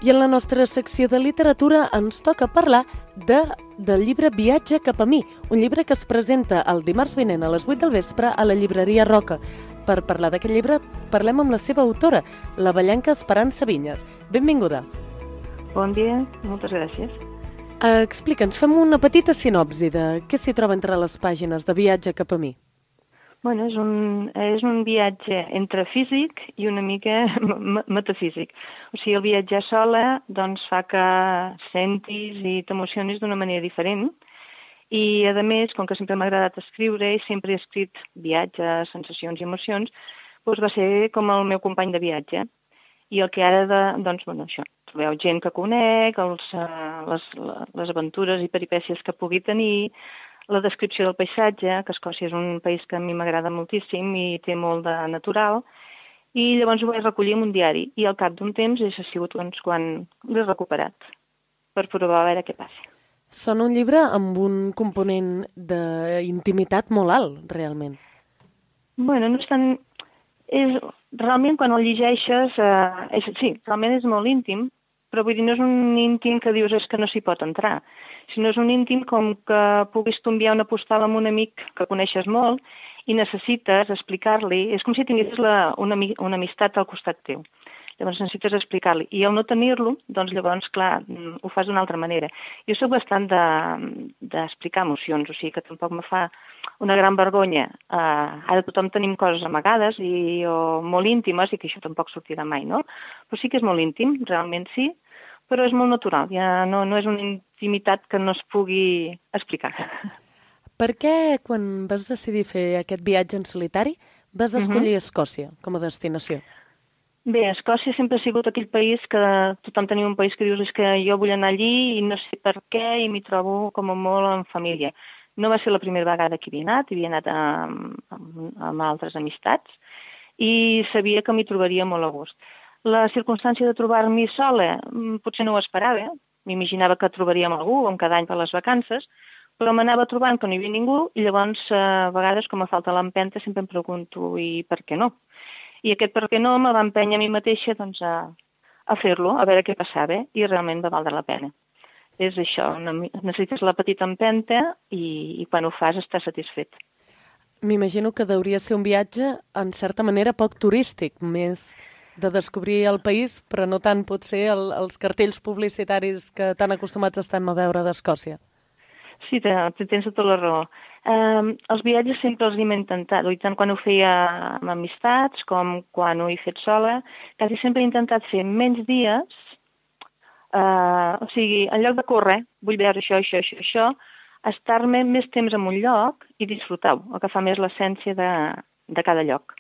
I en la nostra secció de literatura ens toca parlar de, del llibre Viatge cap a mi, un llibre que es presenta el dimarts vinent a les vuit del vespre a la llibreria Roca. Per parlar d'aquest llibre parlem amb la seva autora, la vallenca Esperança Vinyes. Benvinguda. Bon dia, moltes gràcies. Uh, Explica'ns, fem una petita sinopsi de què s'hi troba entre les pàgines de Viatge cap a mi. Bueno, és un, és un viatge entre físic i una mica metafísic. O sigui, el viatjar sola doncs, fa que sentis i t'emocionis d'una manera diferent. I, a més, com que sempre m'ha agradat escriure i sempre he escrit viatges, sensacions i emocions, doncs va ser com el meu company de viatge. I el que ara, de, doncs, bueno, això, trobeu gent que conec, els, les, les aventures i peripècies que pugui tenir, la descripció del paisatge, que Escòcia és un país que a mi m'agrada moltíssim i té molt de natural, i llavors ho vaig recollir en un diari, i al cap d'un temps és sigut doncs, quan l'he recuperat, per provar a veure què passa. Sona un llibre amb un component d'intimitat molt alt, realment. Bueno, no és tan... És... Realment, quan el llegeixes, eh, és... sí, realment és molt íntim, però vull dir, no és un íntim que dius és que no s'hi pot entrar, sinó és un íntim com que puguis tu enviar una postal amb un amic que coneixes molt i necessites explicar-li, és com si tinguessis la, una, una amistat al costat teu. Llavors necessites explicar-li. I al no tenir-lo, doncs llavors, clar, ho fas d'una altra manera. Jo soc bastant d'explicar de, emocions, o sigui que tampoc me fa una gran vergonya. Uh, ara tothom tenim coses amagades i, o molt íntimes i que això tampoc sortirà mai, no? Però sí que és molt íntim, realment sí, però és molt natural, ja no, no és una intimitat que no es pugui explicar. Per què, quan vas decidir fer aquest viatge en solitari, vas escollir uh-huh. Escòcia com a destinació? Bé, Escòcia sempre ha sigut aquell país que tothom tenia un país que dius és que jo vull anar allí i no sé per què i m'hi trobo com a molt en família. No va ser la primera vegada que havia anat, havia anat amb, amb, amb altres amistats i sabia que m'hi trobaria molt a gust. La circumstància de trobar-m'hi sola potser no ho esperava, m'imaginava que trobaríem algú com cada any per les vacances, però m'anava trobant que no hi havia ningú i llavors a vegades com a falta l'empenta sempre em pregunto i per què no? I aquest per què no me va empènyer a mi mateixa doncs, a, a fer-lo, a veure què passava i realment va valdre la pena. És això, una, necessites la petita empenta i, i quan ho fas estàs satisfet. M'imagino que hauria ser un viatge en certa manera poc turístic, més de descobrir el país, però no tant potser el, els cartells publicitaris que tan acostumats estem a veure d'Escòcia. Sí, tens tota la raó. Um, els viatges sempre els hem intentat, i tant quan ho feia amb amistats com quan ho he fet sola, quasi sempre he intentat fer menys dies, uh, o sigui, en lloc de córrer, vull veure això, això, això, això, estar-me més temps en un lloc i disfrutar-ho, el que fa més l'essència de, de cada lloc.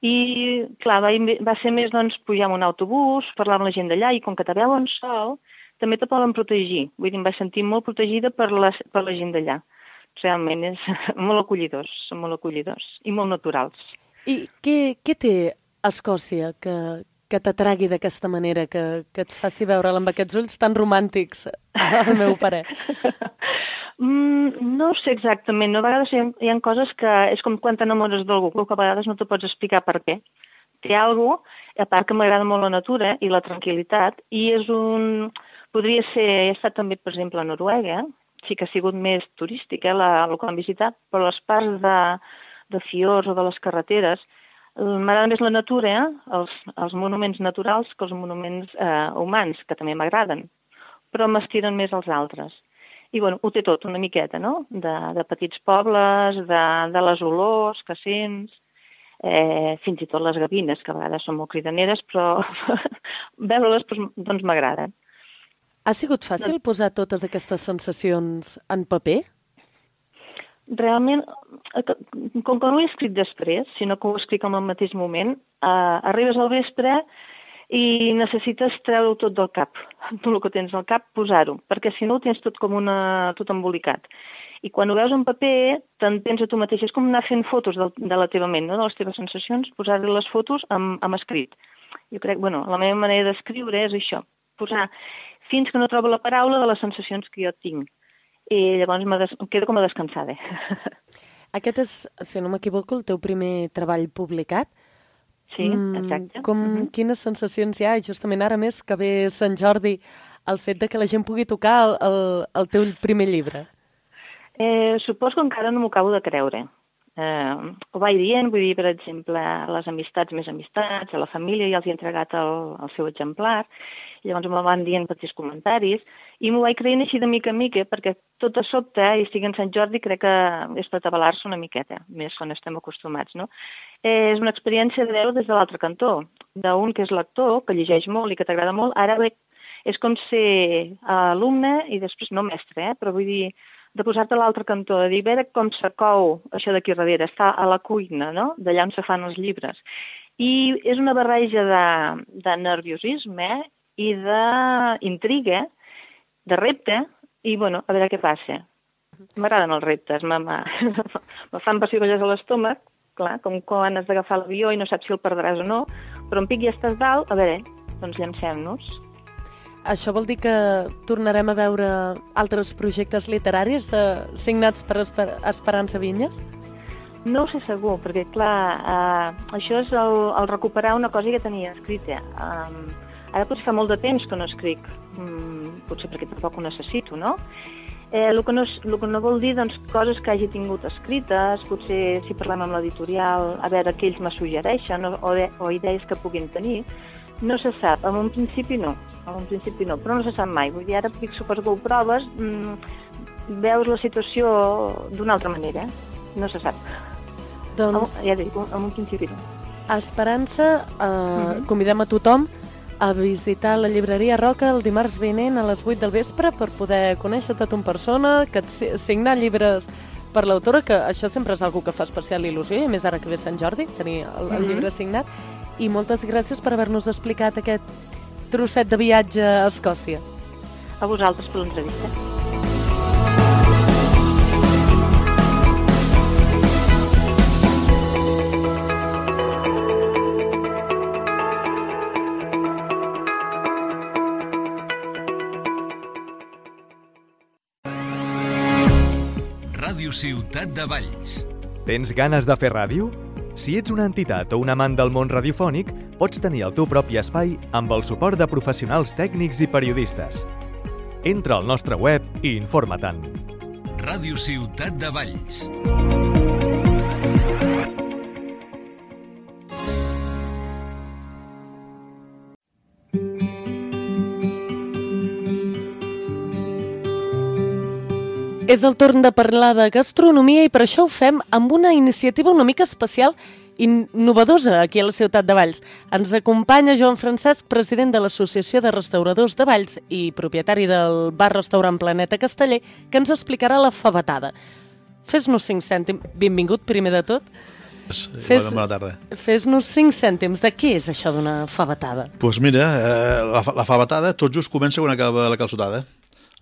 I, clar, va, va ser més, doncs, pujar en un autobús, parlar amb la gent d'allà, i com que te veuen sol, també te poden protegir. Vull dir, em vaig sentir molt protegida per la, per la gent d'allà. Realment, és molt acollidors, són molt acollidors i molt naturals. I què, què té Escòcia que, que t'atragui d'aquesta manera, que, que et faci veure'l amb aquests ulls tan romàntics, al meu parer? Mm, no sé exactament, no? A vegades hi ha, hi ha coses que és com quan t'enamores d'algú, que a vegades no te pots explicar per què. Té alguna cosa, a part que m'agrada molt la natura i la tranquil·litat, i és un... Podria ser, he estat també, per exemple, a Noruega, sí que ha sigut més turística, la, el que han visitat, però les parts de, de fiords o de les carreteres, m'agrada més la natura, eh? els, els monuments naturals que els monuments eh, humans, que també m'agraden, però m'estiren més els altres. I bueno, ho té tot una miqueta, no? De, de petits pobles, de, de les olors que sents, eh, fins i tot les gavines, que a vegades són molt cridaneres, però veure-les doncs m'agraden. Ha sigut fàcil posar totes aquestes sensacions en paper? Realment, com que no ho he escrit després, sinó que ho escric en el mateix moment, eh, arribes al vespre i necessites treure-ho tot del cap, tot el que tens al cap, posar-ho, perquè si no ho tens tot com una, tot embolicat. I quan ho veus en paper, t'entens a tu mateix, és com anar fent fotos de, de la teva ment, no? De les teves sensacions, posar-li les fotos amb, amb escrit. Jo crec, bueno, la meva manera d'escriure és això, posar fins que no trobo la paraula de les sensacions que jo tinc. I llavors des... em quedo com a descansada. Aquest és, si no m'equivoco, el teu primer treball publicat. Sí, exacte. Mm, com, uh-huh. Quines sensacions hi ha, justament ara més que ve Sant Jordi, el fet de que la gent pugui tocar el, el, el teu primer llibre? Eh, suposo que encara no m'ho acabo de creure. Eh, ho vaig dient, vull dir, per exemple, a les amistats més amistats, a la família, ja els he entregat el, el seu exemplar, i llavors me'l van dient petits comentaris, i m'ho vaig creient així de mica en mica, perquè tot a sobte, i estic en Sant Jordi, crec que és per atabalar-se una miqueta, més quan estem acostumats, no? Eh, és una experiència de veure des de l'altre cantó, d'un que és lector, que llegeix molt i que t'agrada molt, ara bé, és com ser alumne i després no mestre, eh? Però vull dir, de posar-te a l'altre cantó, de dir, a veure com se cou això d'aquí darrere, està a la cuina, no?, d'allà on se fan els llibres. I és una barreja de, de nerviosisme i d'intriga, de repte, i, bueno, a veure què passa. M'agraden els reptes, me, me, me fan pessigolles a l'estómac, clar, com quan has d'agafar l'avió i no saps si el perdràs o no, però en pic ja estàs dalt, a veure, doncs llancem-nos. Això vol dir que tornarem a veure altres projectes literaris de, signats per Esper Esperança Vinyes? No ho sé segur, perquè, clar, eh, això és el, el recuperar una cosa que tenia escrita. Um, ara potser fa molt de temps que no escric, um, potser perquè tampoc ho necessito, no? Eh, el, que no el que no vol dir, doncs, coses que hagi tingut escrites, potser si parlem amb l'editorial, a veure què ells me suggereixen, o, o, o idees que puguin tenir. No se sap, en un principi no, en un principi no, però no se sap mai. Vull dir, ara suposo que ho proves, mmm, veus la situació d'una altra manera, no se sap. Doncs... Ja dic, en un principi no. A Esperança eh, Uh-huh. convidem a tothom a visitar la llibreria Roca el dimarts vinent a les vuit del vespre per poder conèixer tot en persona, que si- signar llibres per l'autora, que això sempre és algo que fa especial il·lusió, i a més ara que ve Sant Jordi, tenir el, el Mhm. llibre signat. I moltes gràcies per haver-nos explicat aquest trosset de viatge a Escòcia. A vosaltres per l'entrevista. Ràdio Ciutat de Valls. Tens ganes de fer ràdio? Si ets una entitat o un amant del món radiofònic, pots tenir el teu propi espai amb el suport de professionals tècnics i periodistes. Entra al nostre web i informa-te'n. Ràdio Ciutat de Valls. És el torn de parlar de gastronomia i per això ho fem amb una iniciativa una mica especial i innovadora aquí a la ciutat de Valls. Ens acompanya Joan Francesc, president de l'Associació de Restauradors de Valls i propietari del bar-restaurant Planeta Casteller, que ens explicarà la favetada. Fes-nos cinc cèntims. Benvingut, primer de tot. Fes, bona tarda. Fes-nos cinc cèntims. De què és això d'una favetada? Doncs pues mira, eh, la, la favetada tot just comença quan acaba la calçotada.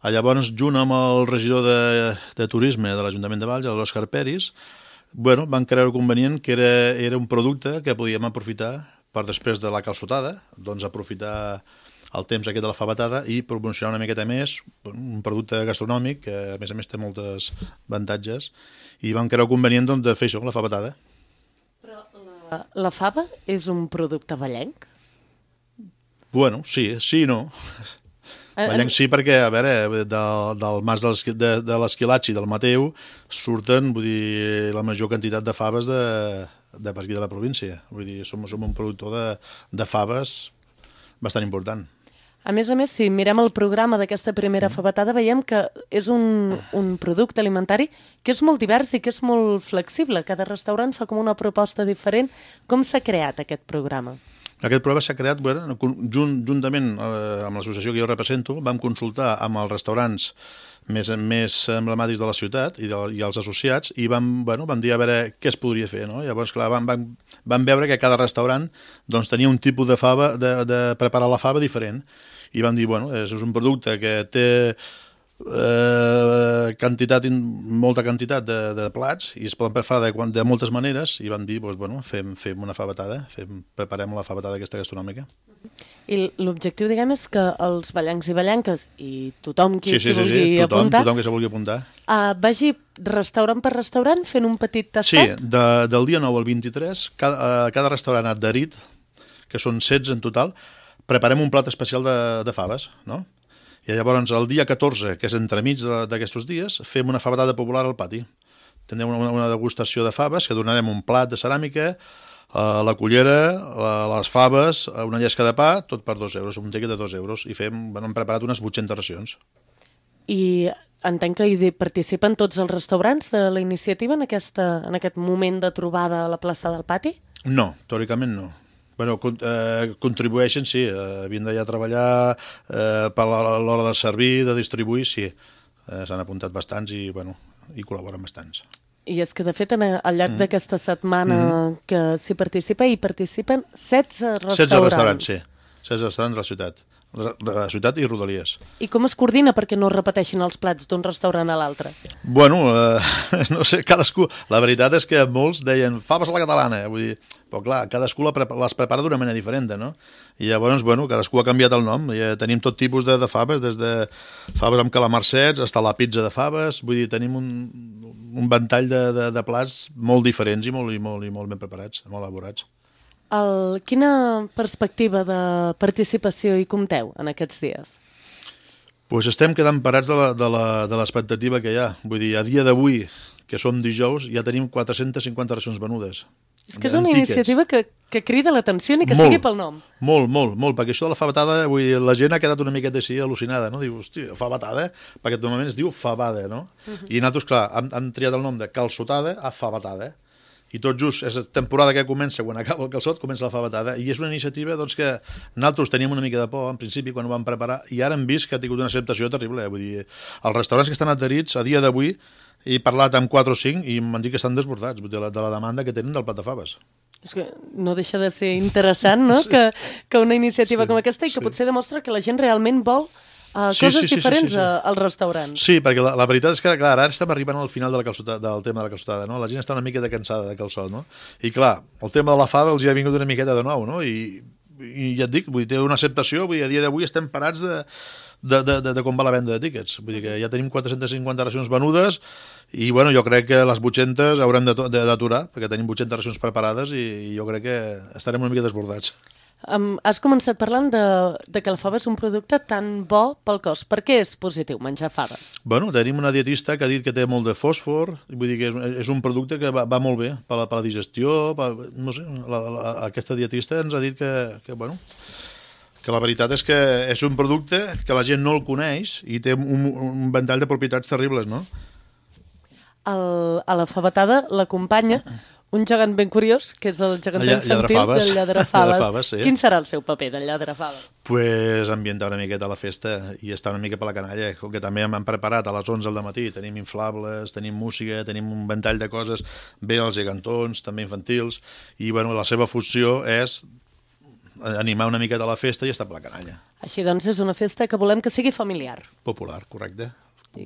Llavors, junt amb el regidor de, de Turisme de l'Ajuntament de Valls, l'Òscar Peris, bueno, van creure convenient que era, era un producte que podíem aprofitar per després de la calçotada, doncs aprofitar el temps aquest de la favetada i promocionar una miqueta més un producte gastronòmic que a més a més té moltes avantatges i van creure convenient doncs, de fer això, la favetada. Però la, la fava és un producte vallenc? Bueno, sí, sí i no. Vallenc sí, perquè, a veure, del, del mas de, de l'Esquilatx i del Mateu surten, vull dir, la major quantitat de faves de, de per aquí de la província. Vull dir, som, som un productor de, de faves bastant important. A més a més, si mirem el programa d'aquesta primera favetada, veiem que és un, un producte alimentari que és molt divers i que és molt flexible. Cada restaurant fa com una proposta diferent. Com s'ha creat aquest programa? Aquest programa s'ha creat, bueno, junt, juntament eh, amb l'associació que jo represento, vam consultar amb els restaurants més, més emblemàtics de la ciutat i, de, i els associats i vam, bueno, vam dir a veure què es podria fer. No? Llavors, clar, vam, vam, vam veure que cada restaurant doncs, tenia un tipus de fava, de, de preparar la fava diferent i vam dir, bueno, és un producte que té eh, quantitat, molta quantitat de, de plats i es poden preparar de, de moltes maneres i vam dir, doncs, bueno, fem, fem una favetada, fem, preparem la favetada aquesta gastronòmica. I l'objectiu, diguem, és que els ballencs i ballenques i tothom qui sí, sí, s'hi vulgui sí, sí. Tothom, apuntar, tothom que s'hi vulgui apuntar. Uh, vagi restaurant per restaurant fent un petit tastet? Sí, de, del dia nou al vint-i-tres, cada, uh, cada restaurant adherit, que són setze en total, preparem un plat especial de, de faves, no? I llavors el dia catorze, que és entremig d'aquests dies, fem una favetada popular al pati. Tindrem una, una degustació de faves, que donarem un plat de ceràmica, Uh, la cullera, la, les faves, una llesca de pa, tot per dos euros, un tiquet de dos euros, i fem, bueno, hem preparat unes vuit-centes racions. I entenc que hi participen tots els restaurants de la iniciativa en, aquesta, en aquest moment de trobada a la plaça del Pati? No, teòricament no. Bueno, con, eh, contribueixen, sí, eh, havien d'allà treballar eh, per l'hora de servir, de distribuir, sí. Eh, s'han apuntat bastants i, bueno, hi col·laboren bastants. I és que, de fet, al llarg mm. d'aquesta setmana mm. que s'hi participa, hi participen setze restaurants. setze restaurants, sí. setze restaurants de la ciutat. De la ciutat i Rodalies. I com es coordina perquè no es repeteixin els plats d'un restaurant a l'altre? Bueno, eh, no sé, cadascú... La veritat és que molts deien faves a la catalana, eh? Vull dir, però clar, cadascú les prepara d'una manera diferent, no? I llavors, bueno, cadascú ha canviat el nom. I tenim tot tipus de, de faves, des de faves amb calamarsets fins a la pizza de faves. Vull dir, tenim un, un ventall de, de, de plats molt diferents i molt, i, molt, i molt ben preparats, molt elaborats. El, quina perspectiva de participació hi compteu en aquests dies? Pues estem quedant parats de l'expectativa que hi ha. Vull dir, a dia d'avui, que som dijous, ja tenim quatre-centes cinquanta racions venudes. És que és una iniciativa que, que crida l'atenció ni que molt, sigui pel nom. Molt, molt, molt, perquè això de la favetada, vull dir, la gent ha quedat una miqueta així al·lucinada, no? Diu, hosti, favetada, perquè normalment es diu favada, no? Uh-huh. I nosaltres, clar, hem, hem triat el nom de calçotada a favetada, i tot just és temporada que comença, quan acaba el calçot, comença la favetada, i és una iniciativa doncs, que nosaltres teníem una mica de por, en principi, quan ho vam preparar, i ara hem vist que ha tingut una acceptació terrible. Eh? Vull dir, els restaurants que estan adherits, a dia d'avui, he parlat amb quatre o cinc i m'han dit que estan desbordats de la, de la demanda que tenen del plat de faves. És que no deixa de ser interessant, no?, sí. que, que una iniciativa sí, com aquesta i que sí. potser demostra que la gent realment vol Uh, sí, coses sí, sí, diferents sí, sí, sí. als restaurants. Sí, perquè la, la veritat és que, clar, ara estem arribant al final de la calçotada, del tema de la calçotada, no? La gent està una mica de cansada de calçot, no? I, clar, el tema de la fava els hi ha vingut una miqueta de nou, no? I, i ja et dic, vull dir, té una acceptació, vull dir, a dia d'avui estem parats de, de, de, de, de com va la venda de tíquets. Vull dir que ja tenim quatre-centes cinquanta racions venudes i, bueno, jo crec que les vuit-centes haurem d'aturar, perquè tenim vuit-centes racions preparades i, i jo crec que estarem una mica desbordats. Um, has començat parlant de, de que la fava és un producte tan bo pel cos. Per què és positiu menjar faves? Bueno, tenim una dietista que ha dit que té molt de fòsfor, vull dir que és, és un producte que va, va molt bé per la, per la digestió, per, no sé, la, la, aquesta dietista ens ha dit que, que, bueno, que la veritat és que és un producte que la gent no el coneix i té un, un ventall de propietats terribles, no? El, a la favetada l'acompanya un gegant ben curiós, que és el gegant Lla, infantil del Lladrafaves. Sí. Quin serà el seu paper del Lladrafaves? Pues ambientar una miqueta la festa i estar una mica per la canalla, com que també hem preparat a les onze del matí. Tenim inflables, tenim música, tenim un ventall de coses, bé els gegantons, també infantils, i bueno, la seva funció és animar una miqueta la festa i estar per la canalla. Així doncs és una festa que volem que sigui familiar. Popular, correcte.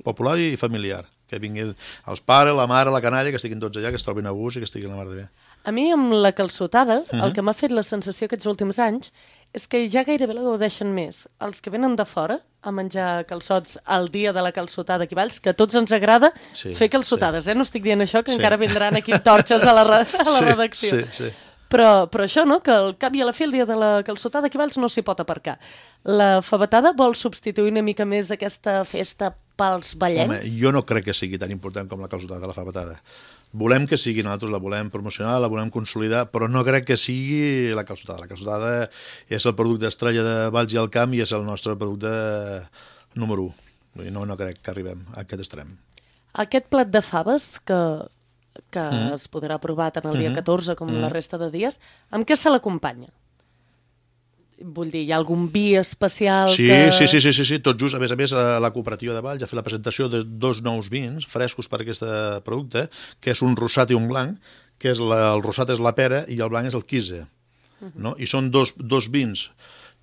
Popular i familiar, que vinguin els pares, la mare, la canalla, que estiguin tots allà, que es trobin a gust i que estiguin la mar de bé. A mi, amb la calçotada, uh-huh. el que m'ha fet la sensació aquests últims anys és que ja gairebé la gaudeixen més els que venen de fora a menjar calçots al dia de la calçotada aquí a Valls, que a tots ens agrada sí, fer calçotades, sí. eh? No estic dient això, que sí. encara vindran aquí torxes a la, a la sí, redacció. Sí, sí. Però, però això, no?, que al cap i a la fi el dia de la calçotada aquí a Valls no s'hi pot aparcar. La favetada vol substituir una mica més aquesta festa pels ballencs? Home, jo no crec que sigui tan important com la calçotada, la favetada. Volem que sigui, nosaltres la volem promocionar, la volem consolidar, però no crec que sigui la calçotada. La calçotada és el producte estrella de Valls i el Camp i és el nostre producte número u. No, no crec que arribem a aquest extrem. Aquest plat de faves que... que mm. es podrà provar tant el dia catorze com mm. la resta de dies, amb què se l'acompanya? Vull dir, hi ha algun vi especial sí, que... Sí, sí, sí, sí, sí, tot just. A més a més, la cooperativa de Valls ha fet la presentació de dos nous vins frescos per aquest producte, que és un rosat i un blanc, que és la, el rosat és la pera i el blanc és el quise. Uh-huh. No? I són dos, dos vins,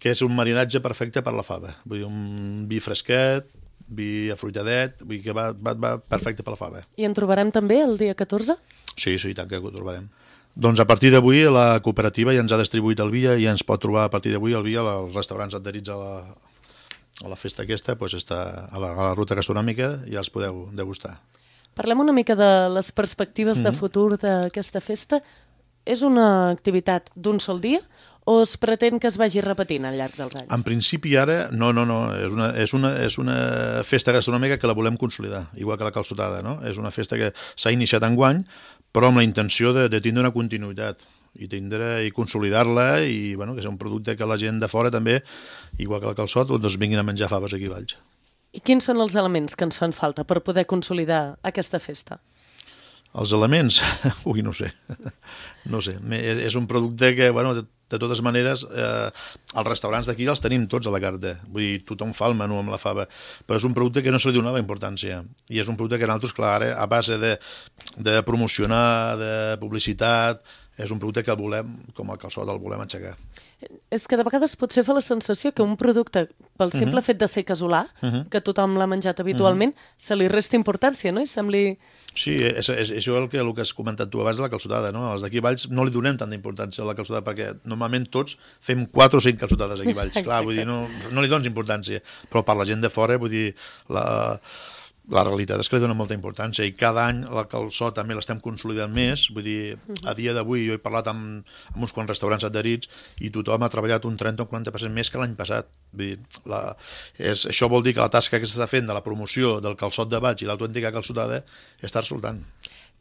que és un marinatge perfecte per la fava. Vull dir, un vi fresquet, vi afruitadet, vull dir que va, va, va perfecte per la fava. I en trobarem també el dia catorze? Sí, sí, tant que ho trobarem. Doncs a partir d'avui la cooperativa ja ens ha distribuït el vi i ens pot trobar a partir d'avui el vi als restaurants adherits a la, a la festa aquesta, doncs està a la, a la ruta gastronòmica i ja els podeu degustar. Parlem una mica de les perspectives de futur d'aquesta festa. És una activitat d'un sol dia o es pretén que es vagi repetint al llarg dels anys? En principi ara, no, no, no, és una, és una, és una festa gastronòmica que la volem consolidar, igual que la calçotada, no? És una festa que s'ha iniciat enguany, però amb la intenció de, de tindre una continuïtat i tindre i consolidar-la i bueno, que sigui un producte que la gent de fora també, igual que el calçot, doncs vinguin a menjar faves aquí a Valls. I quins són els elements que ens fan falta per poder consolidar aquesta festa? Els elements? Ui, no sé. No sé. És, és un producte que, bueno, de, de totes maneres, eh, els restaurants d'aquí els tenim tots a la carta. Vull dir, tothom fa el menú amb la fava. Però és un producte que no se li donava importància. I és un producte que nosaltres, clar, ara, a base de, de promocionar, de publicitat, és un producte que el volem, com el calçot, el volem aixecar. És que de vegades potser fa la sensació que un producte, pel simple uh -huh. fet de ser casolà, uh -huh. que tothom l'ha menjat habitualment, uh -huh. se li resta importància, no? I sembli... Sí, és, és, és el que, el que has comentat tu abans de la calçotada, no? Els d'aquí a Valls no li donem tanta importància a la calçotada perquè normalment tots fem quatre o cinc calçotades aquí a Valls. Clar, vull dir, no, no li dones importància, però per la gent de fora, vull dir, la... La realitat és que li dona molta importància i cada any la calçot també l'estem consolidant més, vull dir, a dia d'avui jo he parlat amb, amb uns quants restaurants adherits i tothom ha treballat un trenta o quaranta per cent més que l'any passat. Vull dir, la, és, això vol dir que la tasca que s'està fent de la promoció del calçot de Valls i l'autèntica calçotada està resultant.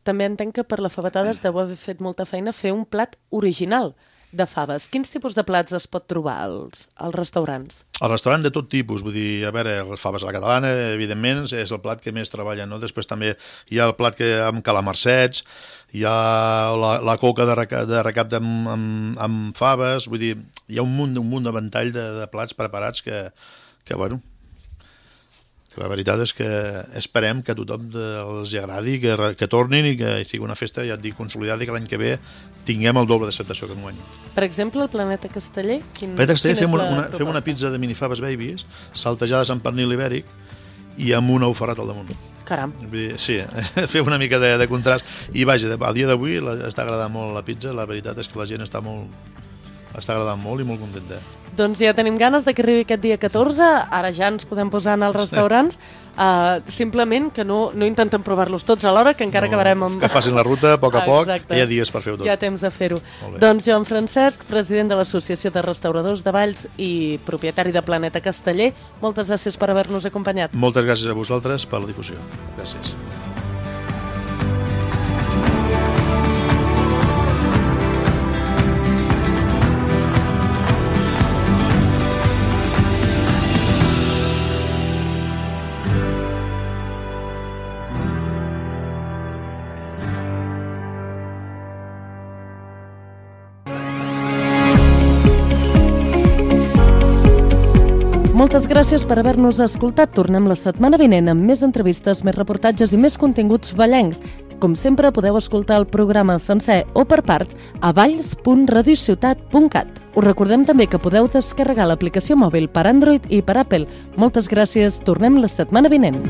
També entenc que per la favetada es deu haver fet molta feina fer un plat original de faves. Quins tipus de plats es pot trobar als, als restaurants? El restaurant de tot tipus, vull dir, a veure, les faves a la catalana, evidentment, és el plat que més treballa, no? Després també hi ha el plat que amb calamarsets, hi ha la, la coca de recap de, recap de amb, amb, amb faves, vull dir, hi ha un munt, un munt de ventall de, de plats preparats que, que bueno, que la veritat és que esperem que a tothom els agradi, que, que tornin i que sigui una festa, ja et dic, consolidada i que l'any que ve tinguem el doble d'acceptació que enguany. Per exemple, el Planeta Casteller? Quin, Planeta Casteller fem una, una, fem una pizza de minifaves babies, saltejades amb pernil ibèric i amb un ou ferrat al damunt. Caram. Sí, fem una mica de, de contrast. I vaja, al dia d'avui està agradant molt la pizza, la veritat és que la gent està molt... està agradant molt i molt contenta. Doncs ja tenim ganes de que arribi aquest dia catorze, ara ja ens podem posar en els restaurants, uh, simplement que no, no intentem provar-los tots alhora, que encara no, acabarem amb... Que facin la ruta a poc a poc, que hi ha dies per fer-ho tot. Hi ha temps de fer-ho. Doncs Joan Francesc, president de l'Associació de Restauradors de Valls i propietari de Planeta Casteller, moltes gràcies per haver-nos acompanyat. Moltes gràcies a vosaltres per la difusió. Gràcies. Moltes gràcies per haver-nos escoltat. Tornem la setmana vinent amb més entrevistes, més reportatges i més continguts vallencs. Com sempre, podeu escoltar el programa sencer o per parts a valls punt radiociutat punt cat. Us recordem també que podeu descarregar l'aplicació mòbil per Android i per Apple. Moltes gràcies. Tornem la setmana vinent.